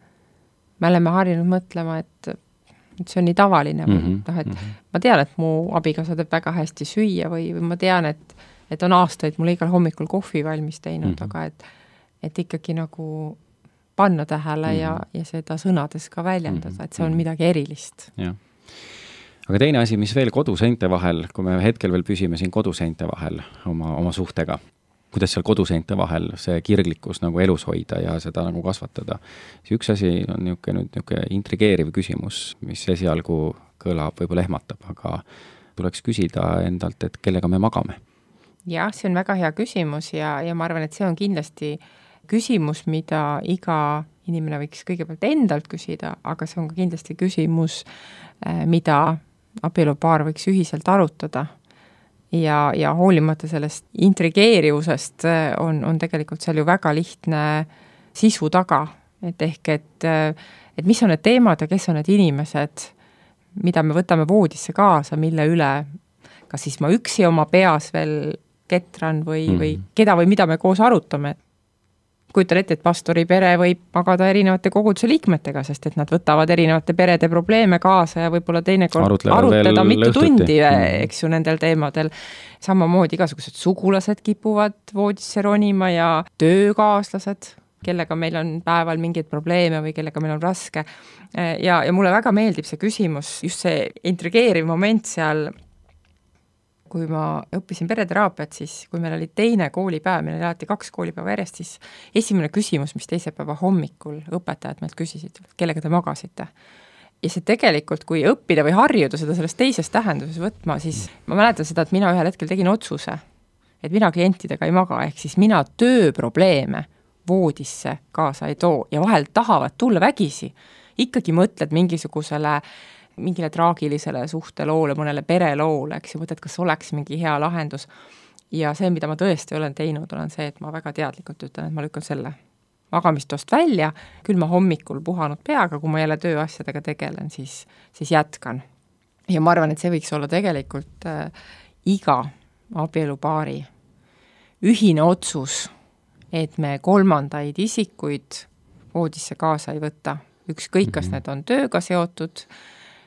me oleme harjunud mõtlema, et, et see on nii tavaline või mm -hmm. et mm -hmm. ma tean, et mu abikaasa teeb väga hästi süüa või, või ma tean, et, et on aastaid mulle igal hommikul kohvi valmis teinud, mm -hmm. aga et, et ikkagi nagu panna tähele mm -hmm. ja, ja seda sõnades ka väljendada, et see on midagi erilist. Jah. Aga teine asi, mis veel koduseinte vahel, kui me hetkel veel püsime siin koduseinte vahel oma, oma suhtega, kuidas seal koduseinte vahel see kirglikkus nagu elus hoida ja seda nagu kasvatada. See üks asi on niisugune, nüüd niisugune intrigeeriv küsimus, mis esialgu kõlab, võib-olla ehmatab, aga tuleks küsida endalt, et kellega me magame. Jah, see on väga hea küsimus ja, ja ma arvan, et see on kindlasti küsimus, mida iga inimene võiks kõigepealt endalt küsida, aga see on ka kindlasti küsimus, mida abielupaar võiks ühiselt arutada. Ja, ja hoolimata sellest intrigeerivusest on, on tegelikult seal ju väga lihtne sisu taga, et ehk, et, et mis on need teemad ja kes on need inimesed, mida me võtame voodisse kaasa, mille üle, kas siis ma üksi oma peas veel ketran või, mm. või keda või mida me koos arutame. Kujutan ette, et pastori pere võib magada erinevate koguduse liikmetega, sest et nad võtavad erinevate perede probleeme kaasa ja võib-olla teinekord Arutlevad arutleda mitu õhtuti. tundi, eks ju, nendel teemadel. Samamoodi igasugused sugulased kipuvad voodisse ronima ja töökaaslased, kellega meil on päeval mingeid probleeme või kellega meil on raske. Ja, ja mulle väga meeldib see küsimus, just see intrigeeriv moment seal, kui ma õppisin pereteraapiat, siis kui meil oli teine koolipäev, meil oli alati kaks koolipäeva järjest, siis esimene küsimus, mis teise päeva hommikul õpetajad meilt küsisid, kellega te magasite. Ja see tegelikult, kui õppida või harjuda seda sellest teises tähenduses võtma, siis ma mäletan seda, et mina ühel hetkel tegin otsuse, et mina klientidega ei maga, ehk siis mina tööprobleeme voodisse kaasa ei too ja vahel tahavad tulla vägisi. Ikkagi mõtled mingisugusele mingile traagilisele suhteloole, mõnele pereloole, eks ju, mõtled, kas oleks mingi hea lahendus. Ja see, mida ma tõesti olen teinud, olen see, et ma väga teadlikult ütlen, et ma lükkan selle magamistost välja, küll ma hommikul puhanud peaga, kui ma jälle tööasjadega tegelen, siis, siis jätkan. Ja ma arvan, et see võiks olla tegelikult äh, iga abielupaari ühine otsus, et me kolmandaid isikuid voodisse kaasa ei võta. Ükskõik, kas need on tööga seotud,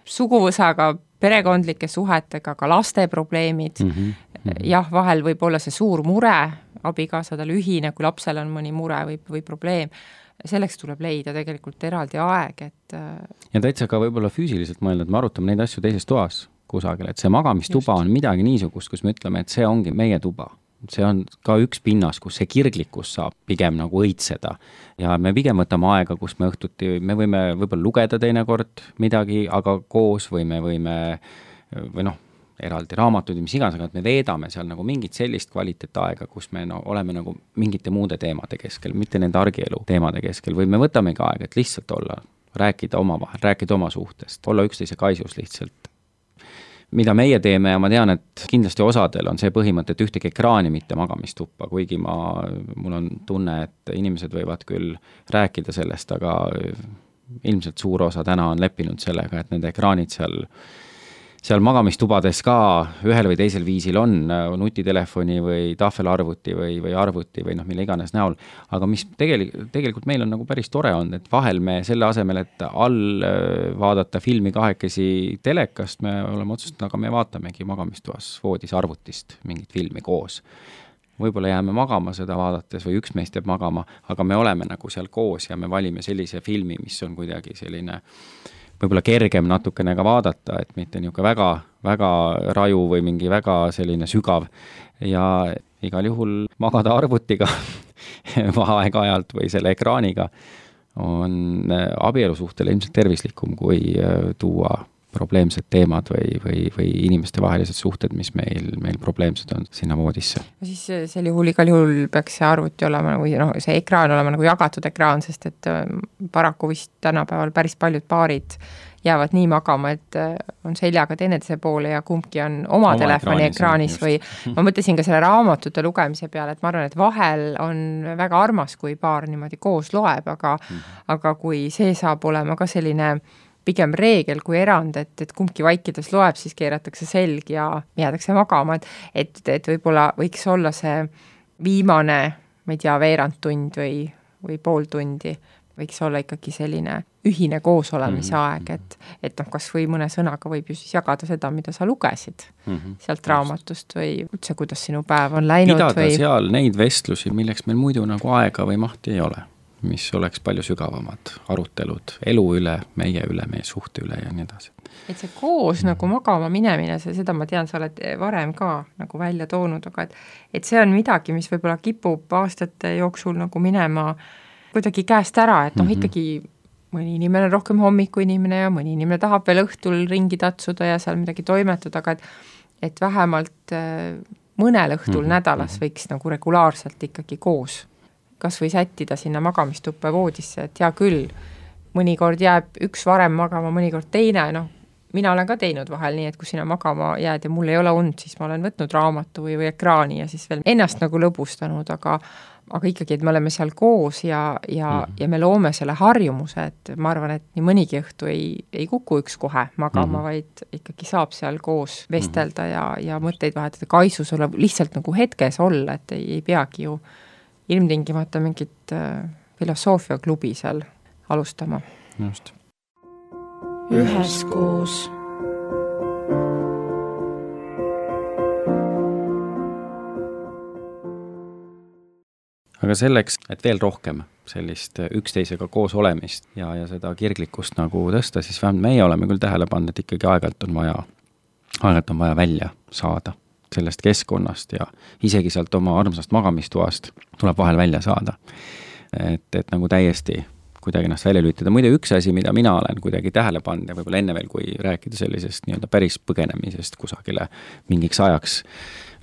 suguvõsaga, perekondlike suhetega, ka laste probleemid. Mm -hmm. Jah, vahel võib olla see suur mure, abikaasadel ühine, kui lapsel on mõni mure või, või probleem. Selleks tuleb leida tegelikult eraldi aeg, et... Ja täitsa ka võib-olla füüsiliselt mõelda, et me arutame neid asju teises toas kusagil, et see magamistuba Just. on midagi niisugust, kus me ütleme, et see ongi meie tuba. See on ka üks pinnas, kus see kirglikkus saab pigem nagu õitseda. Ja me pigem võtame aega, kus me õhtuti, me võime võib-olla lugeda teinekord midagi, aga koos või me võime, või noh, eraldi raamatud ja mis iganes, aga et me veedame seal nagu mingit sellist kvaliteetaega, kus me no, oleme nagu mingite muude teemade keskel, mitte nende argielu teemade keskel, või me võtamegi aega, et lihtsalt olla, rääkida oma vahel, rääkida oma suhtest, olla üksteise kaisus lihtsalt. Mida meie teeme ja ma tean, et kindlasti osadel on see põhimõte, et ühtegi ekraani mitte magamistuppa, kuigi ma, mul on tunne, et inimesed võivad küll rääkida sellest, aga ilmselt suur osa täna on leppinud sellega, et need ekraanid seal, seal magamistubades ka ühel või teisel viisil on nutitelefoni või tahvelarvuti või, või arvuti või noh, mille iganes näol. Aga mis tegelikult, tegelikult meil on nagu päris tore on, et vahel me selle asemel, et all vaadata filmi kahekesi telekast, me oleme otsustanud, aga me vaatamegi magamistuas voodis arvutist mingit filmi koos. Võib-olla jääme magama seda vaadates või üks meist jääb magama, aga me oleme nagu seal koos ja me valime sellise filmi, mis on kuidagi selline võib-olla kergem natukene ka vaadata, et mitte niisugune väga, väga raju või mingi väga selline sügav ja igal juhul magada arvutiga aeg-ajalt või selle ekraaniga on abielusuhtele ilmselt tervislikum, kui tuua probleemsed teemad või, või, või inimeste vahelised suhted, mis meil, meil probleemsed on sinna voodisse. Siis sel juhul igal juhul peaks see arvuti olema või no, see ekraan olema nagu jagatud ekraan, sest et paraku vist tänapäeval päris paljud paarid jäävad nii magama, et on seljaga teineteise poole ja kumbki on oma, oma telefoni ekraanis, ekraanis või ma mõtlesin ka selle raamatute lugemise peale, et ma arvan, et vahel on väga armas, kui paar niimoodi koos loeb, aga, mm. aga kui see saab olema ka selline pigem reegel kui erand, et, et kumbki vaikides loeb, siis keeratakse selg ja jäädakse magama, et, et, et võib-olla võiks olla see viimane, ma ei tea, veerand tund või, või pool tundi, võiks olla ikkagi selline ühine koosolemise aeg, et, et noh, kas või mõne sõnaga võib ju siis jagada seda, mida sa lugesid mm -hmm. sealt raamatust või üldse, kuidas sinu päev on läinud. Pidada või... seal neid vestlusi, milleks meil muidu nagu aega või mahti ei ole, mis oleks palju sügavamad arutelud elu üle, meie üle, meie suhte üle ja nii edasi. Et see koos mm. nagu magama minemine, see, seda ma tean, sa oled varem ka nagu välja toonud, aga et, et see on midagi, mis võib-olla kipub aastate jooksul nagu minema kuidagi käest ära, et noh, mm -hmm. ikkagi mõni inimene on rohkem hommiku inimene ja mõni inimene tahab veel õhtul ringi tatsuda ja seal midagi toimetada, aga et, et vähemalt mõnel õhtul mm -hmm. nädalas võiks nagu regulaarselt ikkagi koos kas või sättida sinna magamistuppe voodisse, et hea küll, mõnikord jääb üks varem magama, mõnikord teine, noh, mina olen ka teinud vahel nii, et kui sina magama jääd ja mul ei ole und, siis ma olen võtnud raamatu või, või ekraani ja siis veel ennast nagu lõbustanud, aga aga ikkagi, et me oleme seal koos ja, ja, mm -hmm. ja me loome selle harjumuse, et ma arvan, et nii mõnigi õhtu ei, ei kuku üks kohe magama, mm -hmm. vaid ikkagi saab seal koos vestelda mm -hmm. ja, ja mõtteid vahetada, kaisus olla, lihtsalt nagu hetkes olla, et ei, ei peagi ju ilmtingimata mingit äh, filosoofiaklubi seal alustama. Just. Üheskoos. Aga selleks, et veel rohkem sellist üksteisega koos olemist ja, ja seda kirglikkust nagu tõsta, siis vähemalt meie oleme küll tähele pannud, et ikkagi aegalt on vaja, aegalt on vaja välja saada sellest keskkonnast ja isegi sealt oma armsast magamistuast tuleb vahel välja saada. Et, et nagu täiesti kuidagi ennast välja lülitada. Muide üks asi, mida mina olen kuidagi tähele pannud ja võib-olla enne veel, kui rääkida sellisest nii-öelda päris põgenemisest kusagile mingiks ajaks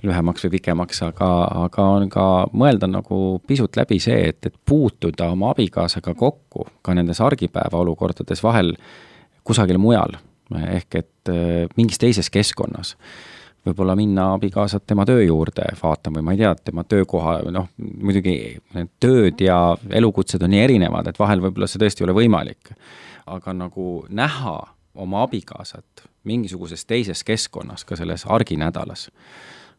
lühemaks või pikemaks, aga, aga on ka mõelda nagu pisut läbi see, et, et puutuda oma abikaasaga kokku ka nendes argipäeva olukordades vahel kusagil mujal, ehk et mingis teises keskkonnas. Võib-olla minna abikaasat tema töö juurde vaatama või ma ei tea, tema töökoha, noh, muidugi need tööd ja elukutsed on nii erinevad, et vahel võib-olla see tõesti ei ole võimalik. Aga nagu näha oma abikaasat mingisuguses teises keskkonnas, ka selles arginädalas,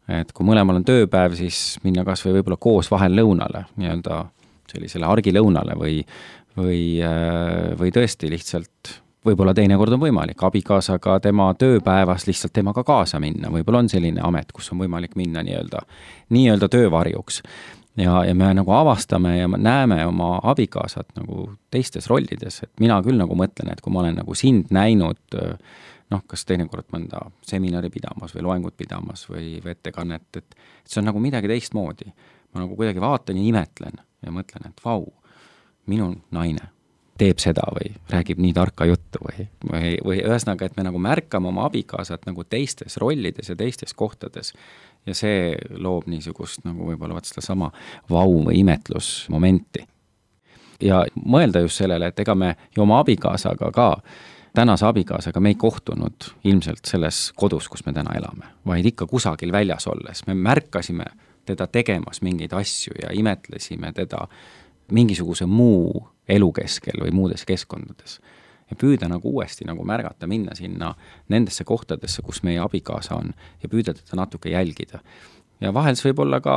et kui mõlemal on tööpäev, siis minna kas või võib-olla koos vahel lõunale, nii-öelda sellisele argilõunale või, või, või tõesti lihtsalt võib-olla teinekord on võimalik abikaasaga tema tööpäevas lihtsalt temaga kaasa minna, võib-olla on selline amet, kus on võimalik minna nii-öelda, nii-öelda töövarjuks. Ja, ja me nagu avastame ja näeme oma abikaasat nagu teistes rollides, et mina küll nagu mõtlen, et kui ma olen nagu sind näinud noh, kas teinekord mõnda seminari pidamas või loengut pidamas või, või ettekannet, et, et see on nagu midagi teistmoodi. Ma nagu kuidagi vaatan ja imetlen ja mõtlen, et vau, minu naine teeb seda või räägib nii tarka juttu või, või, või ühesõnaga, et me nagu märkame oma abikaasat nagu teistes rollides ja teistes kohtades ja see loob niisugust nagu võib-olla vaat seda sama vau või imetlusmomenti. Ja mõelda just sellele, et ega me ju oma abikaasaga ka tänase abikaasaga me ei kohtunud ilmselt selles kodus, kus me täna elame, vaid ikka kusagil väljas olles. Me märkasime teda tegemas mingeid asju ja imetlesime teda mingisuguse muu elu keskel või muudes keskkondades. Ja püüda nagu uuesti nagu märgata, minna sinna nendesse kohtadesse, kus meie abikaasa on ja püüda teda natuke jälgida. Ja vahel see võib olla ka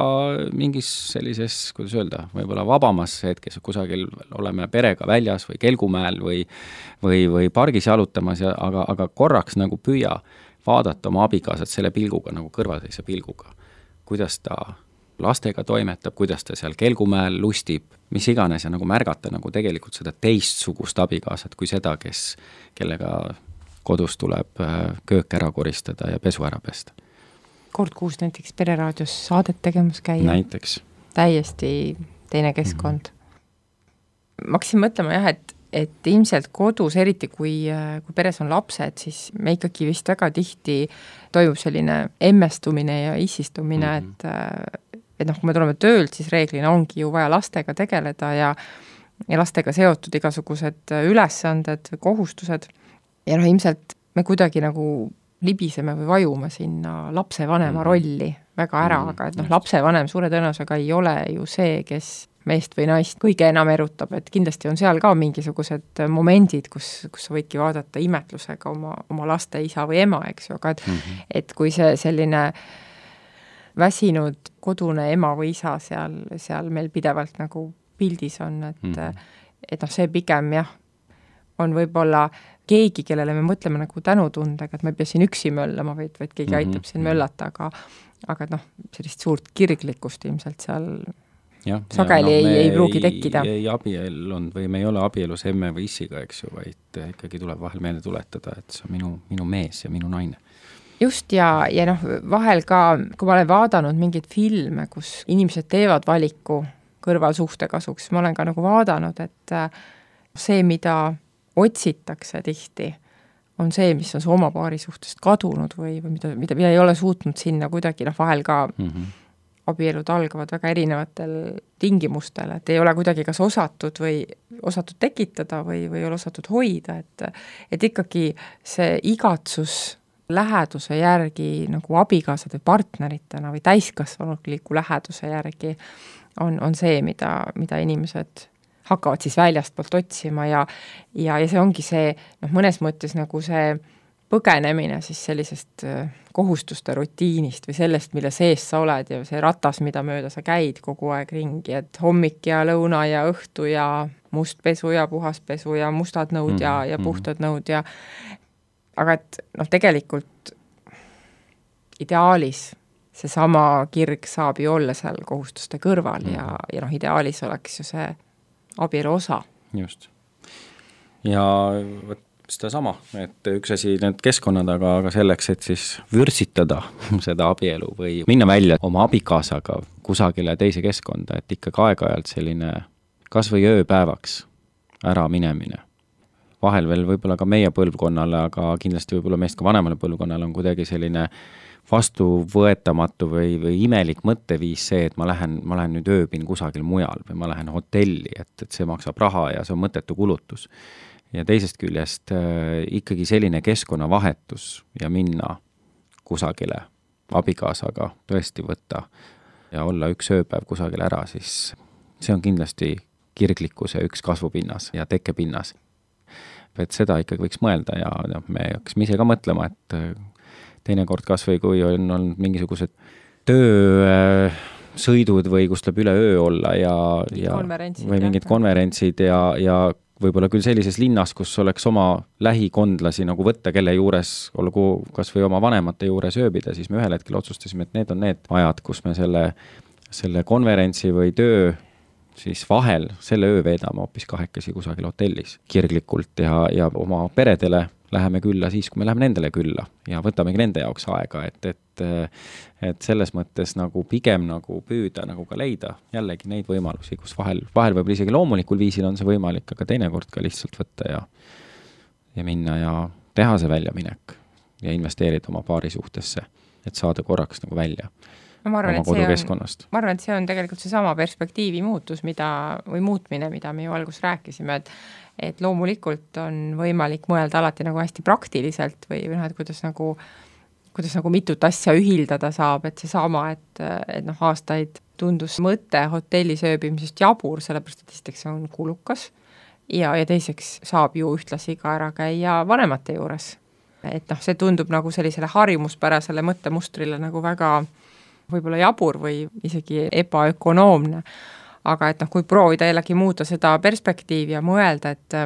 mingis sellises, kuidas öelda, võib-olla vabamas hetkes, kusagil oleme perega väljas või Kelgumäel või, või, või pargis jalutamas, ja, aga, aga korraks nagu püüa vaadata oma abikaasat selle pilguga, nagu kõrvalseise pilguga. Kuidas ta lastega toimetab, kuidas ta seal Kelgumäel lustib, mis iganes ja nagu märgata nagu tegelikult seda teistsugust abikaasat kui seda, kes, kellega kodus tuleb köök ära koristada ja pesu ära pesta. Kord kuus näiteks Pereraadios saadet tegemas käia. Näiteks. Täiesti teine keskkond. Mm-hmm. Ma hakkasin mõtlema jah, et, et ilmselt kodus, eriti kui, kui peres on lapsed, siis me ikkagi vist väga tihti toimub selline emmestumine ja isistumine, mm-hmm. et et noh, kui me tuleme töölt, siis reeglina ongi ju vaja lastega tegeleda ja, ja lastega seotud igasugused ülesanded, kohustused. Ja noh, ilmselt me kuidagi nagu libiseme või vajume sinna lapsevanema rolli väga ära, aga et noh, lapsevanem suure tõenäosusega ei ole ju see, kes meest või naist kõige enam erutab, et kindlasti on seal ka mingisugused momendid, kus, kus sa võidki vaadata imetlusega oma, oma laste isa või ema, eks ju, aga et, mm -hmm. et kui see selline väsinud kodune ema või isa seal, seal meil pidevalt nagu pildis on, et mm -hmm. et noh, see pigem jah, on võib-olla keegi, kellele me mõtleme nagu tänutundega, et ma ei pea siin üksi möllama, vaid, vaid keegi mm -hmm. aitab siin möllata, aga aga noh, sellist suurt kirglikkust ilmselt seal ja, sageli ja no, ei, ei pruugi tekkida. ei, ei abiellunud või me ei ole abielus emme või issiga, eks ju, vaid ikkagi tuleb vahel meelde tuletada, et see on minu, minu mees ja minu naine. Just ja, ja noh, vahel ka, kui ma olen vaadanud mingeid filme, kus inimesed teevad valiku kõrvalsuhte kasuks, ma olen ka nagu vaadanud, et see, mida otsitakse tihti, on see, mis on su oma paari suhtest kadunud või, või mida, mida, mida ei ole suutnud sinna kuidagi, noh vahel ka mm -hmm. abielud algavad väga erinevatel tingimustel, et ei ole kuidagi kas osatud või osatud tekitada või, või ei ole osatud hoida, et, et ikkagi see igatsus läheduse järgi nagu abikaasade partneritena või täiskasvanuliku läheduse järgi on, on see, mida, mida inimesed hakkavad siis väljastpoolt otsima ja, ja, ja see ongi see, noh, mõnes mõttes nagu see põgenemine siis sellisest kohustuste rutiinist või sellest, mille sees sa oled ja see ratas, mida mööda sa käid kogu aeg ringi, et hommik ja lõuna ja õhtu ja must pesu ja puhas pesu ja mustad nõud mm-hmm. ja, ja puhtad nõud ja aga et noh, tegelikult ideaalis seesama kirg saab ju olla seal kohustuste kõrval mm-hmm. ja, ja noh, ideaalis oleks ju see abielu osa. Just. Ja võt, seda sama, et üks asi need keskkonnad, aga, aga selleks, et siis vürsitada seda abielu või minna välja oma abikaasaga kusagile teise keskkonda, et ikkagi aeg-ajalt selline kas või ööpäevaks ära minemine. Vahel veel võib-olla ka meie põlvkonnale, aga kindlasti võib-olla meist ka vanemale põlvkonnale on kuidagi selline vastuvõetamatu või, või imelik mõtteviis see, et ma lähen, ma lähen nüüd ööbin kusagil mujal või ma lähen hotelli, et, et see maksab raha ja see on mõttetu kulutus. Ja teisest küljest äh, ikkagi selline keskkonnavahetus ja minna kusagile abikaasaga tõesti võtta ja olla üks ööpäev kusagil ära, siis see on kindlasti kirglikkuse üks kasvupinnas ja tekkepinnas. Et seda ikkagi võiks mõelda ja, ja me hakkasime ise ka mõtlema, et teinekord kas või kui on olnud mingisugused töösõidud või kus tuleb üle öö olla ja, ja või mingid konverentsid ja, ja võib-olla küll sellises linnas, kus oleks oma lähikondlasi nagu võtta, kelle juures, olgu kas või oma vanemate juures ööbida, siis me ühel hetkel otsustasime, et need on need ajad, kus me selle, selle konverentsi või töö siis vahel selle öö veedame hoopis kahekesi kusagil hotellis kirglikult ja, ja oma peredele läheme külla siis, kui me läheme nendele külla ja võtamegi nende jaoks aega, et, et, et selles mõttes nagu pigem nagu püüda nagu ka leida jällegi neid võimalusi, kus vahel, vahel võib isegi loomulikul viisil on see võimalik, aga teinekord ka lihtsalt võtta ja, ja minna ja teha see väljaminek ja investeerida oma paari suhtesse, et saada korraks nagu välja ma arvan, oma kodukeskkonnast. ma arvan, et see on tegelikult see sama perspektiivi muutus, mida, või muutmine, mida me ju alguses rääkisime, et et loomulikult on võimalik mõelda alati nagu hästi praktiliselt või, või noh, et kuidas nagu, kuidas nagu mitut asja ühildada saab, et see sama, et, et noh, aastaid tundus mõte hotellis ööbimisest jabur, sellepärast, et esiteks on kulukas ja, ja teiseks saab ju ühtlasi ka ära käia vanemate juures. Et noh, see tundub nagu sellisele harjumuspärasele mõttemustrile nagu väga võib-olla jabur või isegi ebaökonoomne, aga et noh, kui proovida jällegi muuta seda perspektiivi ja mõelda, et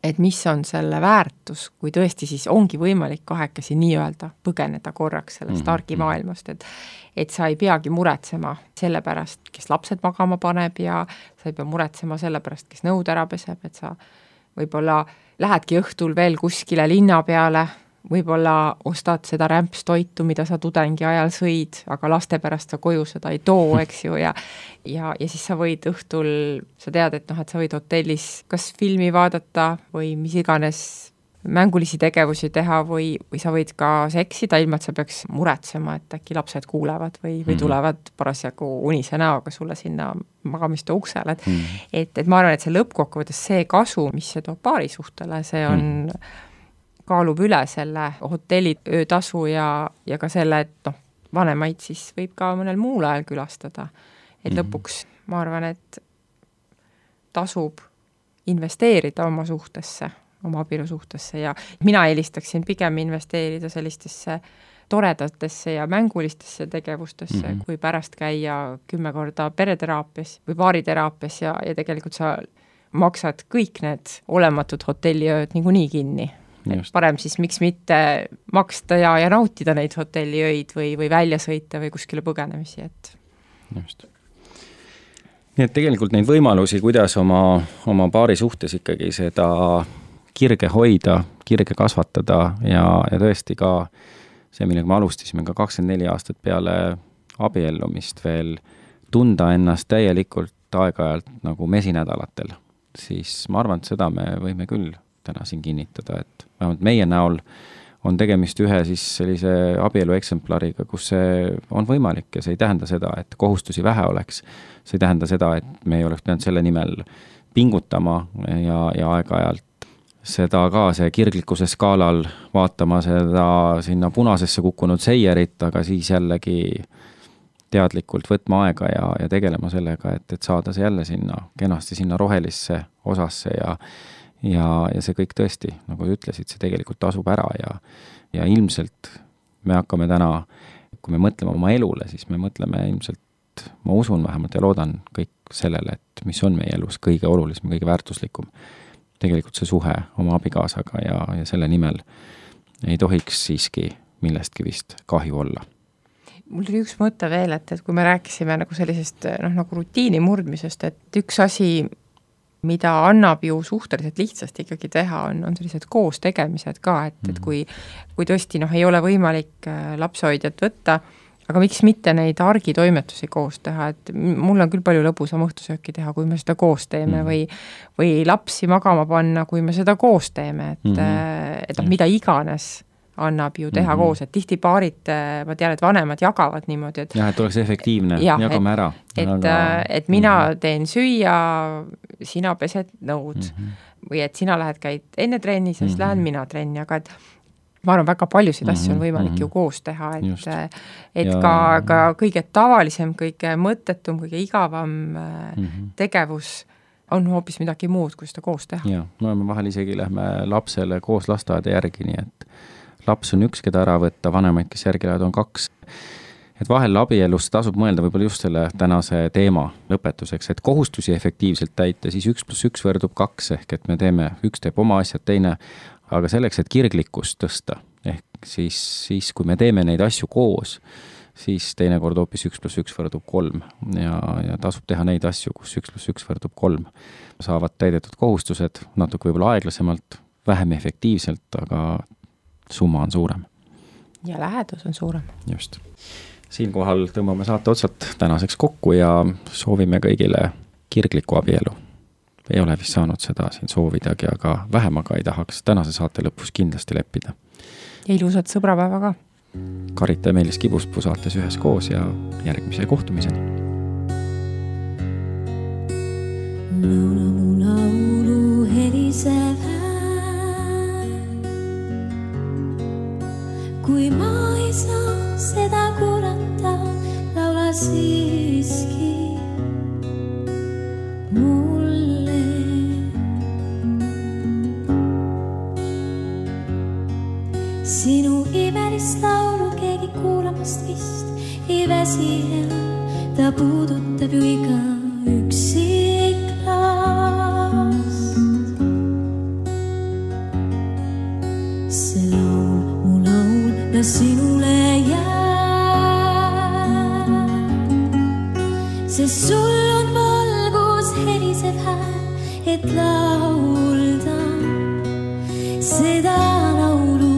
et mis on selle väärtus, kui tõesti siis ongi võimalik kahekesi nii-öelda põgeneda korraks sellest mm-hmm. argimaailmast, et et sa ei peagi muretsema selle pärast, kes lapsed magama paneb ja sa ei pea muretsema selle pärast, kes nõud ära peseb, et sa võib-olla lähedki õhtul veel kuskile linna peale, võib-olla ostad seda rämpstoitu, mida sa tudengi ajal sõid, aga laste pärast sa koju seda ei too, eks ju, ja ja, ja siis sa võid õhtul, sa tead, et noh, et sa võid hotellis kas filmi vaadata või mis iganes mängulisi tegevusi teha või, või sa võid ka seksida, ilma et sa peaks muretsema, et äkki lapsed kuulevad või, või tulevad parasjagu unise näoga sulle sinna magamisto uksele, et, mm. et, et ma arvan, et see lõppkokkuvõttes see kasu, mis see toob paarisuhtele, see on mm. kaalub üle selle hotelli öötasu ja, ja ka selle, et noh, vanemaid siis võib ka mõnel muul ajal külastada. Et mm-hmm. lõpuks ma arvan, et tasub investeerida oma suhtesse, oma abielu suhtesse ja mina eelistaksin pigem investeerida sellistesse toredatesse ja mängulistesse tegevustesse, mm-hmm. kui pärast käia kümme korda pereteraapias või paariteraapias ja, ja tegelikult sa maksad kõik need olematud hotelliööd niikuinii kinni. Et parem siis miks mitte maksta ja, ja nautida neid hotelliöid või, või välja sõita või kuskile põgenemisi, et just. Nii et tegelikult neid võimalusi, kuidas oma, oma paari suhtes ikkagi seda kirge hoida, kirge kasvatada ja, ja tõesti ka see, millega me alustasime ka kakskümmend neli aastat peale abiellumist veel tunda ennast täielikult aeg-ajalt nagu mesinädalatel, siis ma arvan, et seda me võime küll täna siin kinnitada, et vähemalt meie näol on tegemist ühe siis sellise abielu eksemplariga, kus see on võimalik ja see ei tähenda seda, et kohustusi vähe oleks. See ei tähenda seda, et me ei oleks pidanud selle nimel pingutama ja, ja aeg-ajalt seda ka see kirglikkuse skaalal vaatama seda sinna punasesse kukkunud seierit, aga siis jällegi teadlikult võtma aega ja, ja tegelema sellega, et, et saada see jälle sinna, kenasti sinna rohelisse osasse ja Ja, ja see kõik tõesti, nagu te ütlesid, see tegelikult tasub ära ja, ja ilmselt me hakkame täna, kui me mõtleme oma elule, siis me mõtleme ilmselt, ma usun vähemalt ja loodan kõik sellele, et mis on meie elus kõige olulisem, kõige väärtuslikum. Tegelikult see suhe oma abikaasaga ja, ja selle nimel ei tohiks siiski millestki vist kahju olla. Mul tuli üks mõte veel, et, et kui me rääkisime nagu sellisest noh, nagu rutiini murdmisest, et üks asi mida annab ju suhteliselt lihtsalt ikkagi teha, on, on sellised koos tegemised ka, et, et kui, kui tõesti noh, ei ole võimalik lapsehoidjat võtta, aga miks mitte neid argitoimetusi koos teha, et mul on küll palju lõbusam õhtusööki teha, kui me seda koos teeme või, või lapsi magama panna, kui me seda koos teeme, et, mm-hmm. et noh, mida iganes annab ju teha mm-hmm. koos, et tihti paarid, ma tean, et vanemad jagavad niimoodi, et jah, et oleks efektiivne, ja, jagame ära. Et, aga... et mina mm-hmm. teen süüa, sina pesed nõud mm-hmm. või et sina lähed käid enne trenni, siis mm-hmm. lähen mina trenni, aga et ma arvan, väga paljusid mm-hmm. asju on võimalik mm-hmm. ju koos teha, et, et ja... ka, ka kõige tavalisem, kõige mõttetum, kõige igavam mm-hmm. tegevus on hoopis midagi muud, kui seda koos teha. Ja, no me vahel isegi lähme lapsele koos lasteaeda järgi, nii et laps on üks, keda ära võtta, vanemaid, kes järgi lähevad, on kaks. Et vahel abielus tasub mõelda võib-olla just selle tänase teema lõpetuseks, et kohustusi efektiivselt täita, siis üks pluss üks võrdub kaks, ehk et me teeme, üks teeb oma asjad, teine, aga selleks, et kirglikkust tõsta, ehk siis, siis kui me teeme neid asju koos, siis teinekord hoopis üks pluss üks võrdub kolm ja, ja tasub teha neid asju, kus üks pluss üks võrdub kolm. Saavad täidetud kohustused natuke võib-olla aeglasemalt, vähem efektiivselt, aga summa on suurem. Ja lähedus on suurem. Just. Siinkohal tõmbame saate otsad tänaseks kokku ja soovime kõigile kirglikku abielu. Ei ole vist saanud seda siin soovidagi, aga vähemaga ei tahaks tänase saate lõpus kindlasti leppida. Ja ilusat sõbrapäeva ka. Karita ja Meelis Kibuspuu saates ühes koos ja järgmise kohtumiseni. Laula mu laulu helisev kui ma ei saa seda kuulata, laula siiski mulle. Sinu imelist laulu keegi kuulamast vist ei väsi enam, ta puudutab ju iga üksik last. See laul ja sinule jääb, sest sul on valgus helisev hääl, et laulda seda laulu.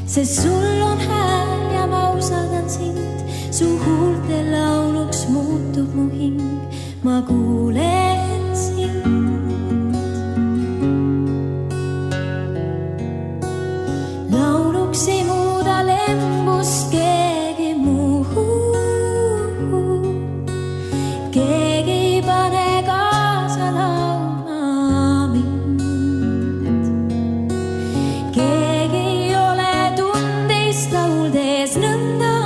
Sest sul on hääl ja ma usaldan sind, su huulte lauluks muutub mu hing, ma kuulen sind. Ei muuda lembust keegi muu, keegi ei pane kaasa laulma mind, keegi ei ole tundeist lauldes nõnda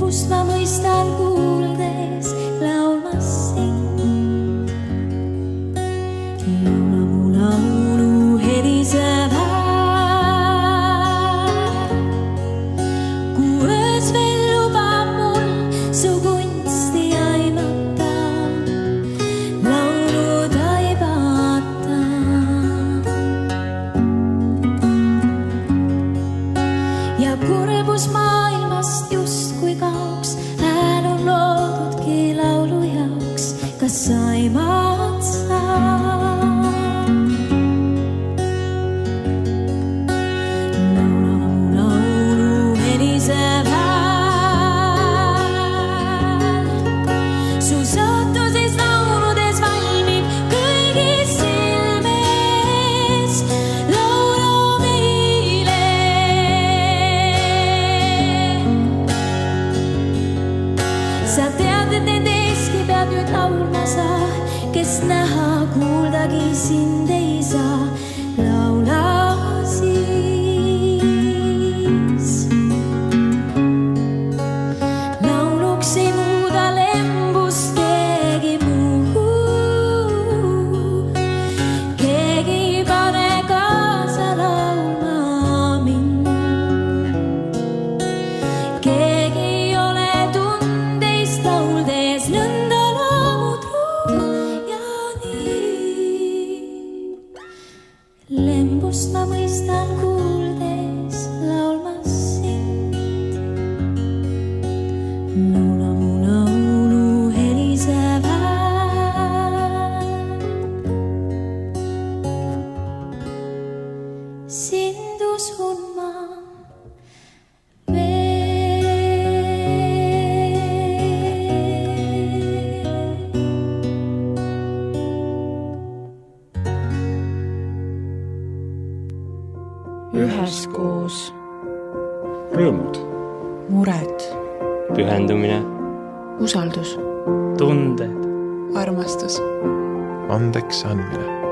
lembust ma mõistan kuuldes laulmas sind. Laula mu laulu heliseb hääl, kui öös veel lubab mul su kunsti aimata, laulu taibata. Ja kurbus maailmast justkui kaoks, hääl on loodudki laulu jaoks, kas aimad sa? Laula mu laulu heliseb hääl, su sootuses lauludes valmib kõigis silmes, laulu meile. Sa tead, et nende eeski pead nüüd laulma sa, kes näha, kuuldagi sind ei saa. Laula siis. Lauluks ei muuda lembust keegi muu. Keegi ei pane kaasa laulma mind. Keegi ei ole tundeist lauldes nõnda loomutru ja nii. Lembust ma mõistan kuuldes laulmas sind. Laula mu laulu heliseb hääl, sind usun ma üheskoos, Rõõmud. mured, pühendumine, usaldus, tunded, armastus. Andeks andmine.